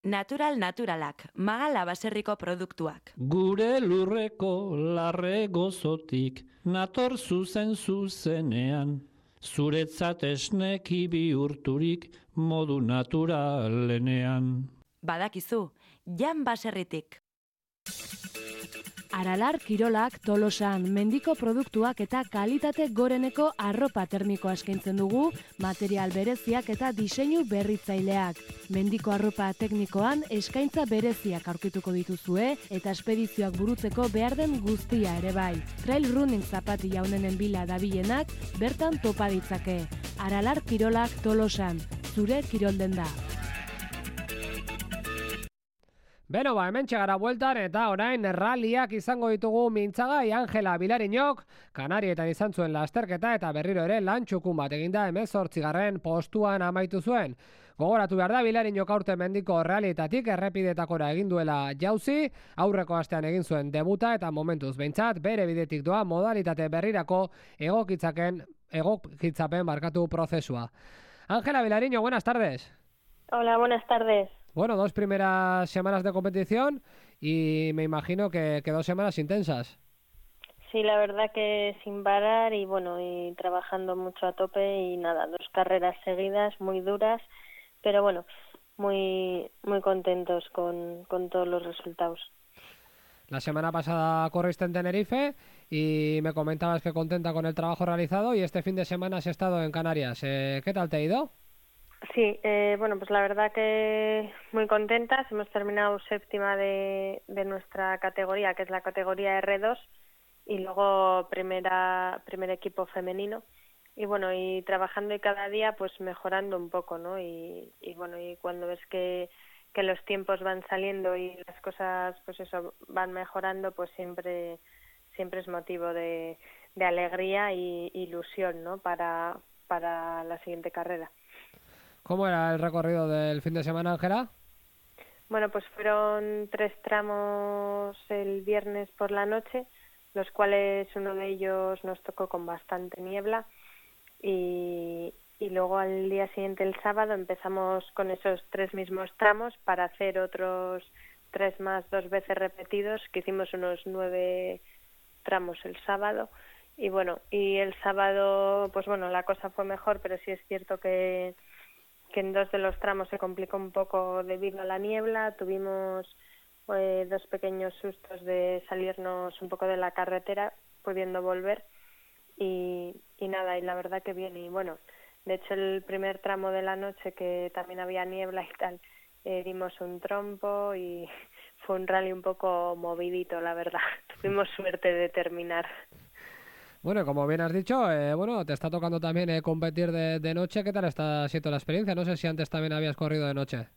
F: Naturalak, Magala baserriko produktuak.
G: Gure lurreko larre gozotik, nator zuzenean. Zuretzat esneki bihurturik modu naturalenean.
F: Badakizu, Jan baserritik.
C: Aralar kirolak Tolosan mendiko produktuak eta kalitate goreneko arropa termikoa eskaintzen dugu, material bereziak eta diseinu berritzaileak. Mendiko arropa teknikoan eskaintza bereziak aurkituko dituzue eta espedizioak burutzeko behar den guztia ere bai. Trail running zapatila honenen bila dabilenak bertan topa ditzake. Aralar kirolak Tolosan, zure kirolden da.
B: Beno, hemen txegara bueltan eta orain ralliak izango ditugu mintzagai Angela Bilarinok, Kanarietan izan zuen lasterketa eta berriro ere lan txukun bat eginda 18. postuan amaitu zuen. Gogoratu behar da, Bilarinok aurten mendiko rallietatik errepidetakora egin duela jauzi, aurreko astean egin zuen debuta eta momentuz behintzat bere bidetik doa modalitate berrirako egokitzapen prozesua. Angela Bilarinok, buenas tardes.
H: Hola, buenas tardes.
B: Bueno, 2 primeras semanas de competición y me imagino que 2 semanas intensas.
H: Sí, la verdad que sin parar y bueno, y trabajando mucho a tope y nada, 2 carreras seguidas muy duras, pero bueno, muy contentos con todos los resultados.
B: La semana pasada corriste en Tenerife y me comentabas que contenta con el trabajo realizado y este fin de semana has estado en Canarias. ¿Qué tal te ha ido?
H: Sí, bueno, pues la verdad que muy contentas. Hemos terminado 7ª de nuestra categoría, que es la categoría R2, y luego primer equipo femenino. Y bueno, y trabajando y cada día pues mejorando un poco, ¿no? Y bueno, y cuando ves que los tiempos van saliendo y las cosas pues eso van mejorando, pues siempre es motivo de alegría y ilusión, ¿no? Para la siguiente carrera.
B: ¿Cómo era el recorrido del fin de semana, Ángela?
H: Bueno, pues fueron 3 tramos el viernes por la noche, los cuales uno de ellos nos tocó con bastante niebla y luego al día siguiente, el sábado, empezamos con esos 3 mismos tramos para hacer otros 3 más 2 veces repetidos, que hicimos unos 9 tramos el sábado. Y bueno, y el sábado, pues bueno, la cosa fue mejor, pero sí es cierto que en 2 de los tramos se complicó un poco debido a la niebla. Tuvimos dos pequeños sustos de salirnos un poco de la carretera, pudiendo volver y nada, y la verdad que bien. Y bueno, de hecho el primer tramo de la noche, que también había niebla y tal, dimos un trompo y fue un rally un poco movidito, la verdad. Tuvimos suerte de terminar.
B: Bueno, como bien has dicho, bueno, te está tocando también competir de noche. ¿Qué tal está siendo la experiencia? No sé si antes también habías corrido de noche.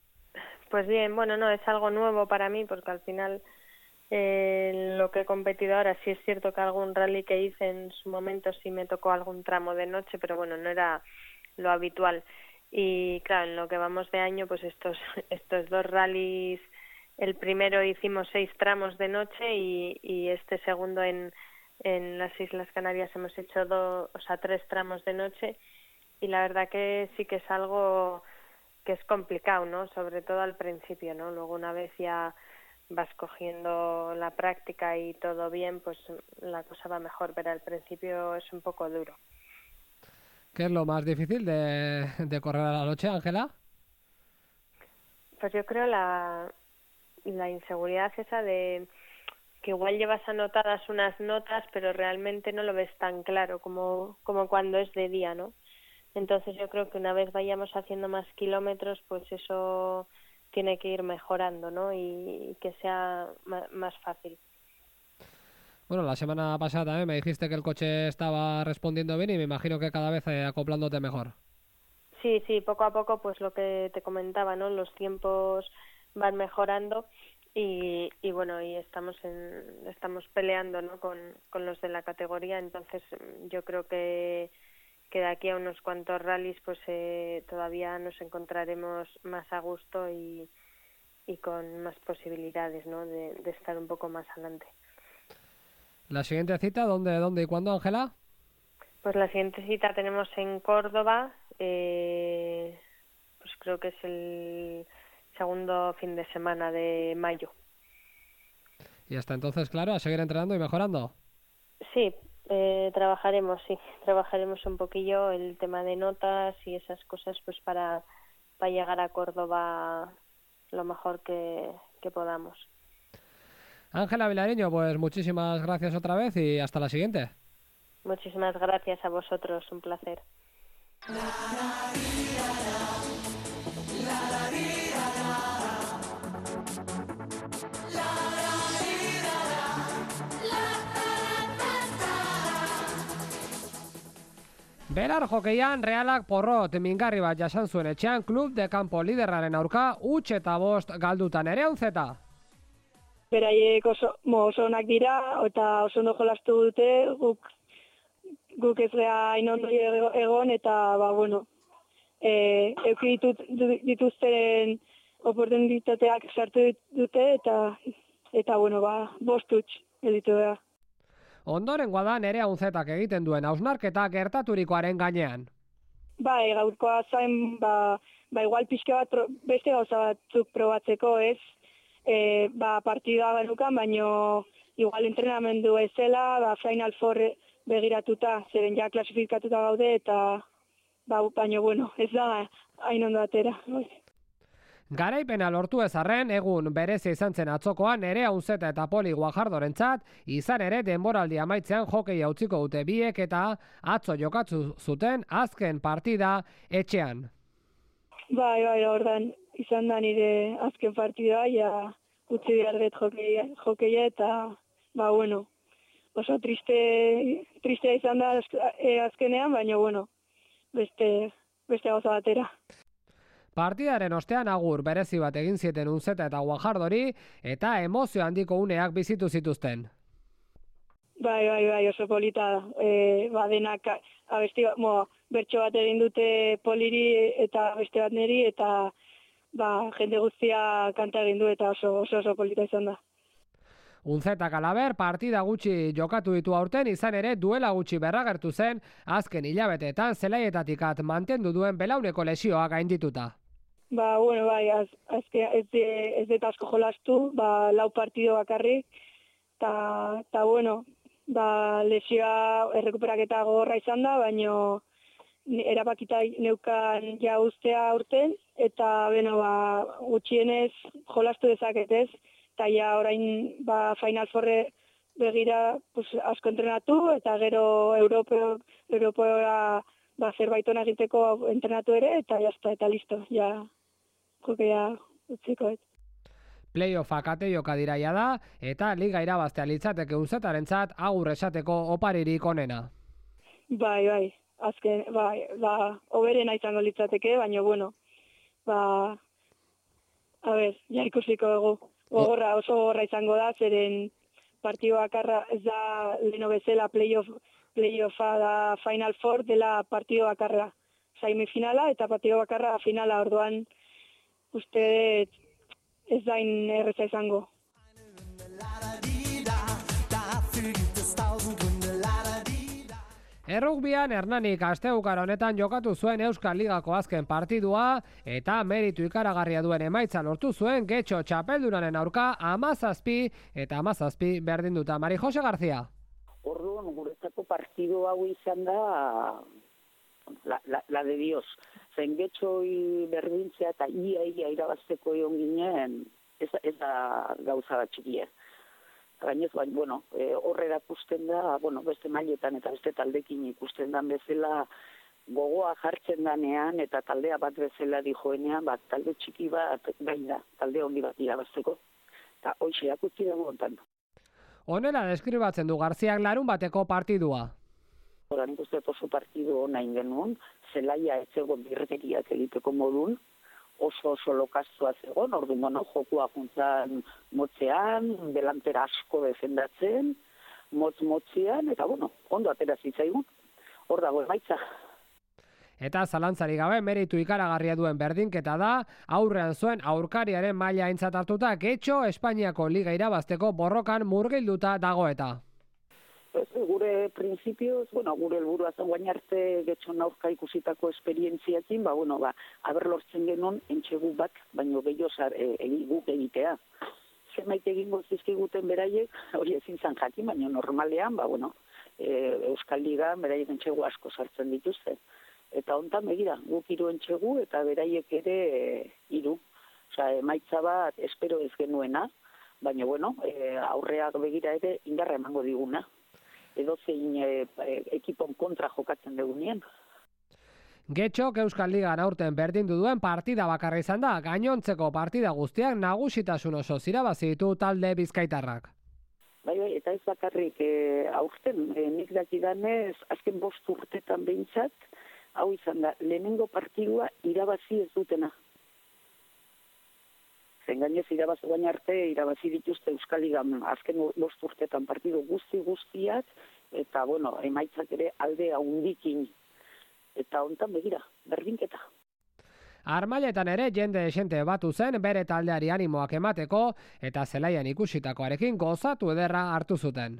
H: Pues bien, bueno, no, es algo nuevo para mí, porque al final lo que he competido ahora, sí es cierto que algún rally que hice en su momento sí me tocó algún tramo de noche, pero bueno, no era lo habitual. Y claro, en lo que vamos de año, pues estos dos rallies, el primero hicimos 6 tramos de noche y este segundo en las Islas Canarias hemos hecho 3 tramos de noche, y la verdad que sí que es algo que es complicado, ¿no? Sobre todo al principio, ¿no? Luego una vez ya vas cogiendo la práctica y todo bien, pues la cosa va mejor, pero al principio es un poco duro.
B: ¿Qué es lo más difícil de correr a la noche, Ángela?
H: Pues yo creo la inseguridad esa de que igual llevas anotadas unas notas, pero realmente no lo ves tan claro como cuando es de día, ¿no? Entonces yo creo que una vez vayamos haciendo más kilómetros, pues eso tiene que ir mejorando, ¿no? Y que sea más fácil.
B: Bueno, la semana pasada también me dijiste que el coche estaba respondiendo bien y me imagino que cada vez acoplándote mejor.
H: Sí, poco a poco, pues lo que te comentaba, ¿no? Los tiempos van mejorando y bueno, y estamos peleando, ¿no? Con los de la categoría, entonces yo creo que de aquí a unos cuantos rallies pues todavía nos encontraremos más a gusto y con más posibilidades, ¿no? de estar un poco más adelante.
B: ¿La siguiente cita dónde y cuándo, Ángela?
H: Pues la siguiente cita tenemos en Córdoba, pues creo que es el segundo fin de semana de mayo.
B: Y hasta entonces, claro, a seguir entrenando y mejorando.
H: Sí, trabajaremos un poquillo el tema de notas y esas cosas, pues para llegar a Córdoba lo mejor que podamos.
B: Ángela Vilareño, pues muchísimas gracias otra vez y hasta la siguiente.
H: Muchísimas gracias a vosotros, un placer.
B: Belar jokeian Realak porrot mingarri bat jasan zuen etxean klub de campo liderraren aurka 5-5 galdutan ere onzeta.
O: Beraiek oso onak dira eta oso ondo jolastu dute, guk ez gea hain ondo egon eta bueno, eduki dituzten oportunitateak sartu dute eta bueno, 5 huts gelditu da.
B: Ondorengoa da Nerea Unzetak egiten duen hausnarketa gertaturikoaren gainean.
O: Bai, gaurkoa zain, igual pixka bat beste gauza batzuk probatzeko, ez? Partida genukan, baino igual entrenamendu ez zela, Final Four begiratuta, zeren ja klasifikatuta gaude, eta baino, bueno, ez da hain ondo atera.
B: Garaipena lortu ezarren, egun berezia izan zen atzokoan Nerea Unzeta eta Poli Guajardorentzat, izan ere denboraldi amaitzean hokeia utziko dute biek eta atzo jokatu zuten azken partida etxean.
O: Bai, ordan izan da nire azken partida, ja utzi behar dut hokeia eta, bueno, oso tristea izan da azkenean, baina, bueno, beste gauza batera.
B: Partidaren ostean agur berezi bat egin zieten Unzeta eta Guajardori eta emozio handiko uneak bizitu zituzten.
O: Bai, oso polita da. Denak abesti bertso bat egin dute Poliri eta beste bat neri eta jende guztia kanta egin du eta oso polita izan da.
B: Unzetak alaber partida gutxi jokatu ditu aurten, izan ere duela gutxi berragertu zen azken hilabeteetan zelaietatik mantendu duen belauneko lesioa gaindituta.
O: Bueno, ez dut asko jolastu, 4 partido bakarrik, eta bueno, lesioa errekuperaketa gogorra izan da, baino erabakita neukan ja ustea urten, eta gutxienez jolastu dezaketez, eta ja orain Final Fourre begira pues, asko entrenatu, eta gero Europeora zerbait ona egiteko entrenatu ere, eta jazta, eta listo, ja utziko.
B: Playoffa kate joka diraia da, eta liga irabaztea litzateke uzetarentzat agur esateko oparirik onena.
O: Bai, azken, oberena izango litzateke, baina bueno, ja ikusiko dugu. Oso gogorra izango da, zeren partido bakarra ez da leno bezala playoffa da Final Four dela partido bakarra semifinala eta partido bakarra finala, orduan uste ez da erreza izango.
B: Errugbian Hernanik asteukara honetan jokatu zuen Euskal Ligako azken partidua eta meritu ikaragarria duen emaitza lortu zuen Getxo txapeldunaren aurka 17 eta 17 berdinduta. Mari Jose García.
P: Orduan guretzako partidu hau izan da la de Dios. Zen Getxoi berdintzea eta ia irabazteko egon ginen ez da gauza bat txikia. Gainez, horre erakusten da, beste mailetan eta beste taldekin ikusten dan bezala gogoa jartzen danean eta taldea bat bezala dijoenean, talde txiki bat gain da, talde handi bat irabazteko. Eta hoxe akutzi dago ontan.
B: Honela deskribatzen du Garziak larun bateko partidua.
P: Horan ikusten oso partidu hona ingenuen, zelaia ez egon birrekeriak egiteko modun, oso lokaztua zegoen, orduan jokua juntzan motzean, delantera asko defendatzen, motzean, eta ondo atera zitzaigun, hor dago emaitza.
B: Eta zalantzari gabe meritu ikaragarria duen berdinketa da, aurrean zuen aurkariaren maila aintzat hartuta Getxo Espainiako Liga irabazteko borrokan murgilduta dago eta.
P: Gure printzipioz, gure helburua zen guain arte Getxon aurka ikusitako esperientziakin, aber lortzen genuen entxegu bat, baino gehiago guk egitea. Zenbait egingo zizkiguten beraiek, hori ezin zan jakin, baina normalean, Euskal Liga beraiek entxegu asko sartzen dituzte. Eta hontan begira, guk 3 entxegu eta beraiek ere 3. Osea, emaitza bat espero ez genuena, baina aurreak begira ere indarra emango diguna. Edozein ekipon kontra jokatzen dugunien.
B: Getxok Euskal Ligan aurten berdindu duen partida bakarra izan da, gainontzeko partida guztiak nagusitasun oso irabazi ditu talde bizkaitarrak.
P: Bai, eta ez bakarrik aurten, nik dakidanez, azken 5 urtetan behintzat, hau izan da, lehenengo partidua irabazi ez dutena. Zen gainez irabazi guain arte, irabazi dituzte Euskal Ligan azken 5 urtetan partidu guztiak, eta emaitzak ere alde handikin. Eta hontan begira, berdinketa.
B: Armailetan ere jende esente batu zen bere taldeari animoak emateko eta zelaian ikusitakoarekin gozatu ederra hartu zuten.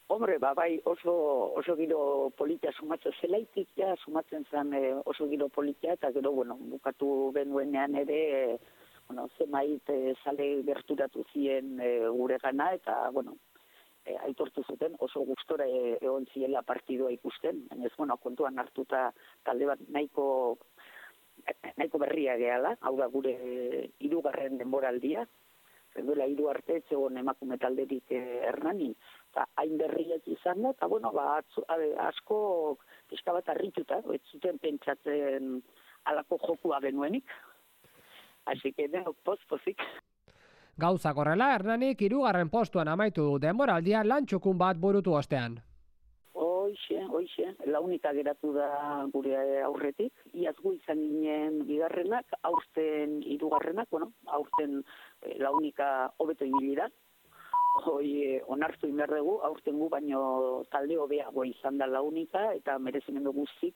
P: Hombre, bai, oso giro politia sumatzen zelaitik, sumatzen zen oso giro politia, eta gero, bukatu genuenean ere, zemait zale gerturatu ziren gure gana, eta, aitortu zuten oso gustora egon ziela partidua ikusten. Baina kontuan hartuta talde bat nahiko berria gehala, hau da gure 3. denboraldia, duela 3 arte etzegon emakume talderik Hernanin, eta hain berriak izan da, eta asko pixka bat harrituta, ez zuten pentsatzen alako jokua genuenik. Así que pozik.
B: Gauzak horrela, Hernanik 3. postuan amaitu du denboraldia lantxukun bat burutu ostean.
P: Hoixe, launika geratu da gure aurretik. Iaz gu izan ginen 2. aurten 3. Aurten launika hobeto ibili da. Onartu inber dugu, aurten gu baino talde hobeago izan da launika, eta merezimendu guztik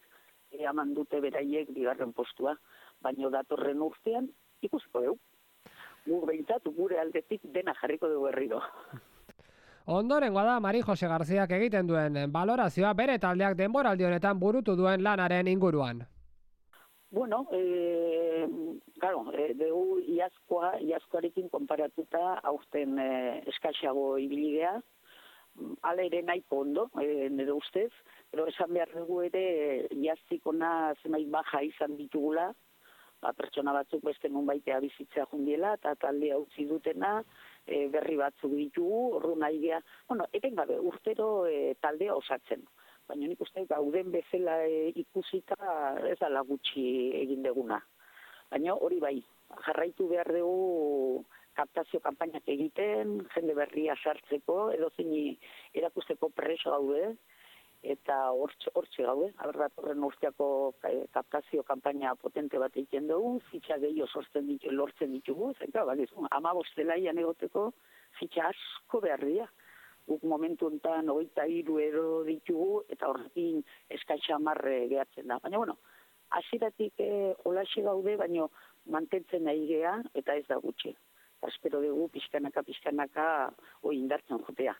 P: eman dute beraiek 2. postua. Baino datorren urtean, ikusiko dugu. Gure aldetik dena jarriko dugu berriro.
B: Ondorengoa da Mari Jose Garziak egiten duen balorazioa bere taldeak denboraldi honetan burutu duen lanaren inguruan.
P: Dugu iazkoarekin konparatuta aurten eskaxago ibilidea, ala ere nahiko ondo, nire ustez, pero esan behar dugu ere iaztikona zenbait baja izan ditugula, pertsona batzuk beste nunbaitea bizitzea jundiela, eta taldea utzi dutena, berri batzuk ditugu, ordu nahi gea, etengabe urtero taldea osatzen. Baina nik uste gauden bezala ikusita ez dela gutxi egin deguna. Baina hori bai, jarraitu behar dugu kaptazio kanpainak egiten, jende berria sartzeko, edozein erakusteko preso gaude, eta hortxe gaude, datorren urteako kaptazio kanpaina potente bat egiten dugu, fitxa gehiago lortzen ditugu, zenka, 15 zelaian egoteko fitxa asko behar dira. Guk momentu enten 23 euro ditugu, eta horrekin eskaitza 10 gehatzen da. Baina, hasieratik holaxe gaude, baina mantentzen nahi gea, eta ez da gutxi. Espero dugu pixkanaka indartzen jotea.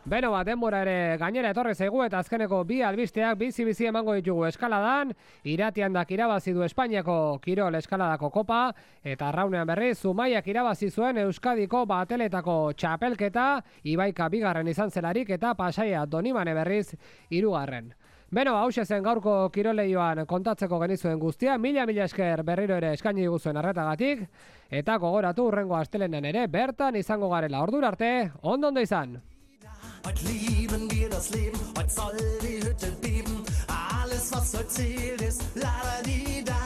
B: Beno, denbora ere gainera etorri zaigu eta azkeneko bi albisteak bizi emango ditugu eskaladan. Iratiandak irabazi du Espainiako Kirol eskaladako kopa eta arraunean berriz Zumaiak irabazi zuen Euskadiko bateletako txapelketa, Ibaika 2. izan zelarik eta Pasaia Donibane berriz 3. Beno, hause zen gaurko kiroleioan kontatzeko genizuen guztia, mila esker berriro ere eskaini diguzuen arretagatik, eta gogoratu hurrengo astelenean ere bertan izango garela. Ordura arte, ondo izan!
A: Heute lieben wir das Leben, heute soll die Hütte beben. Alles, was heute zählt, ist la-da-di-da.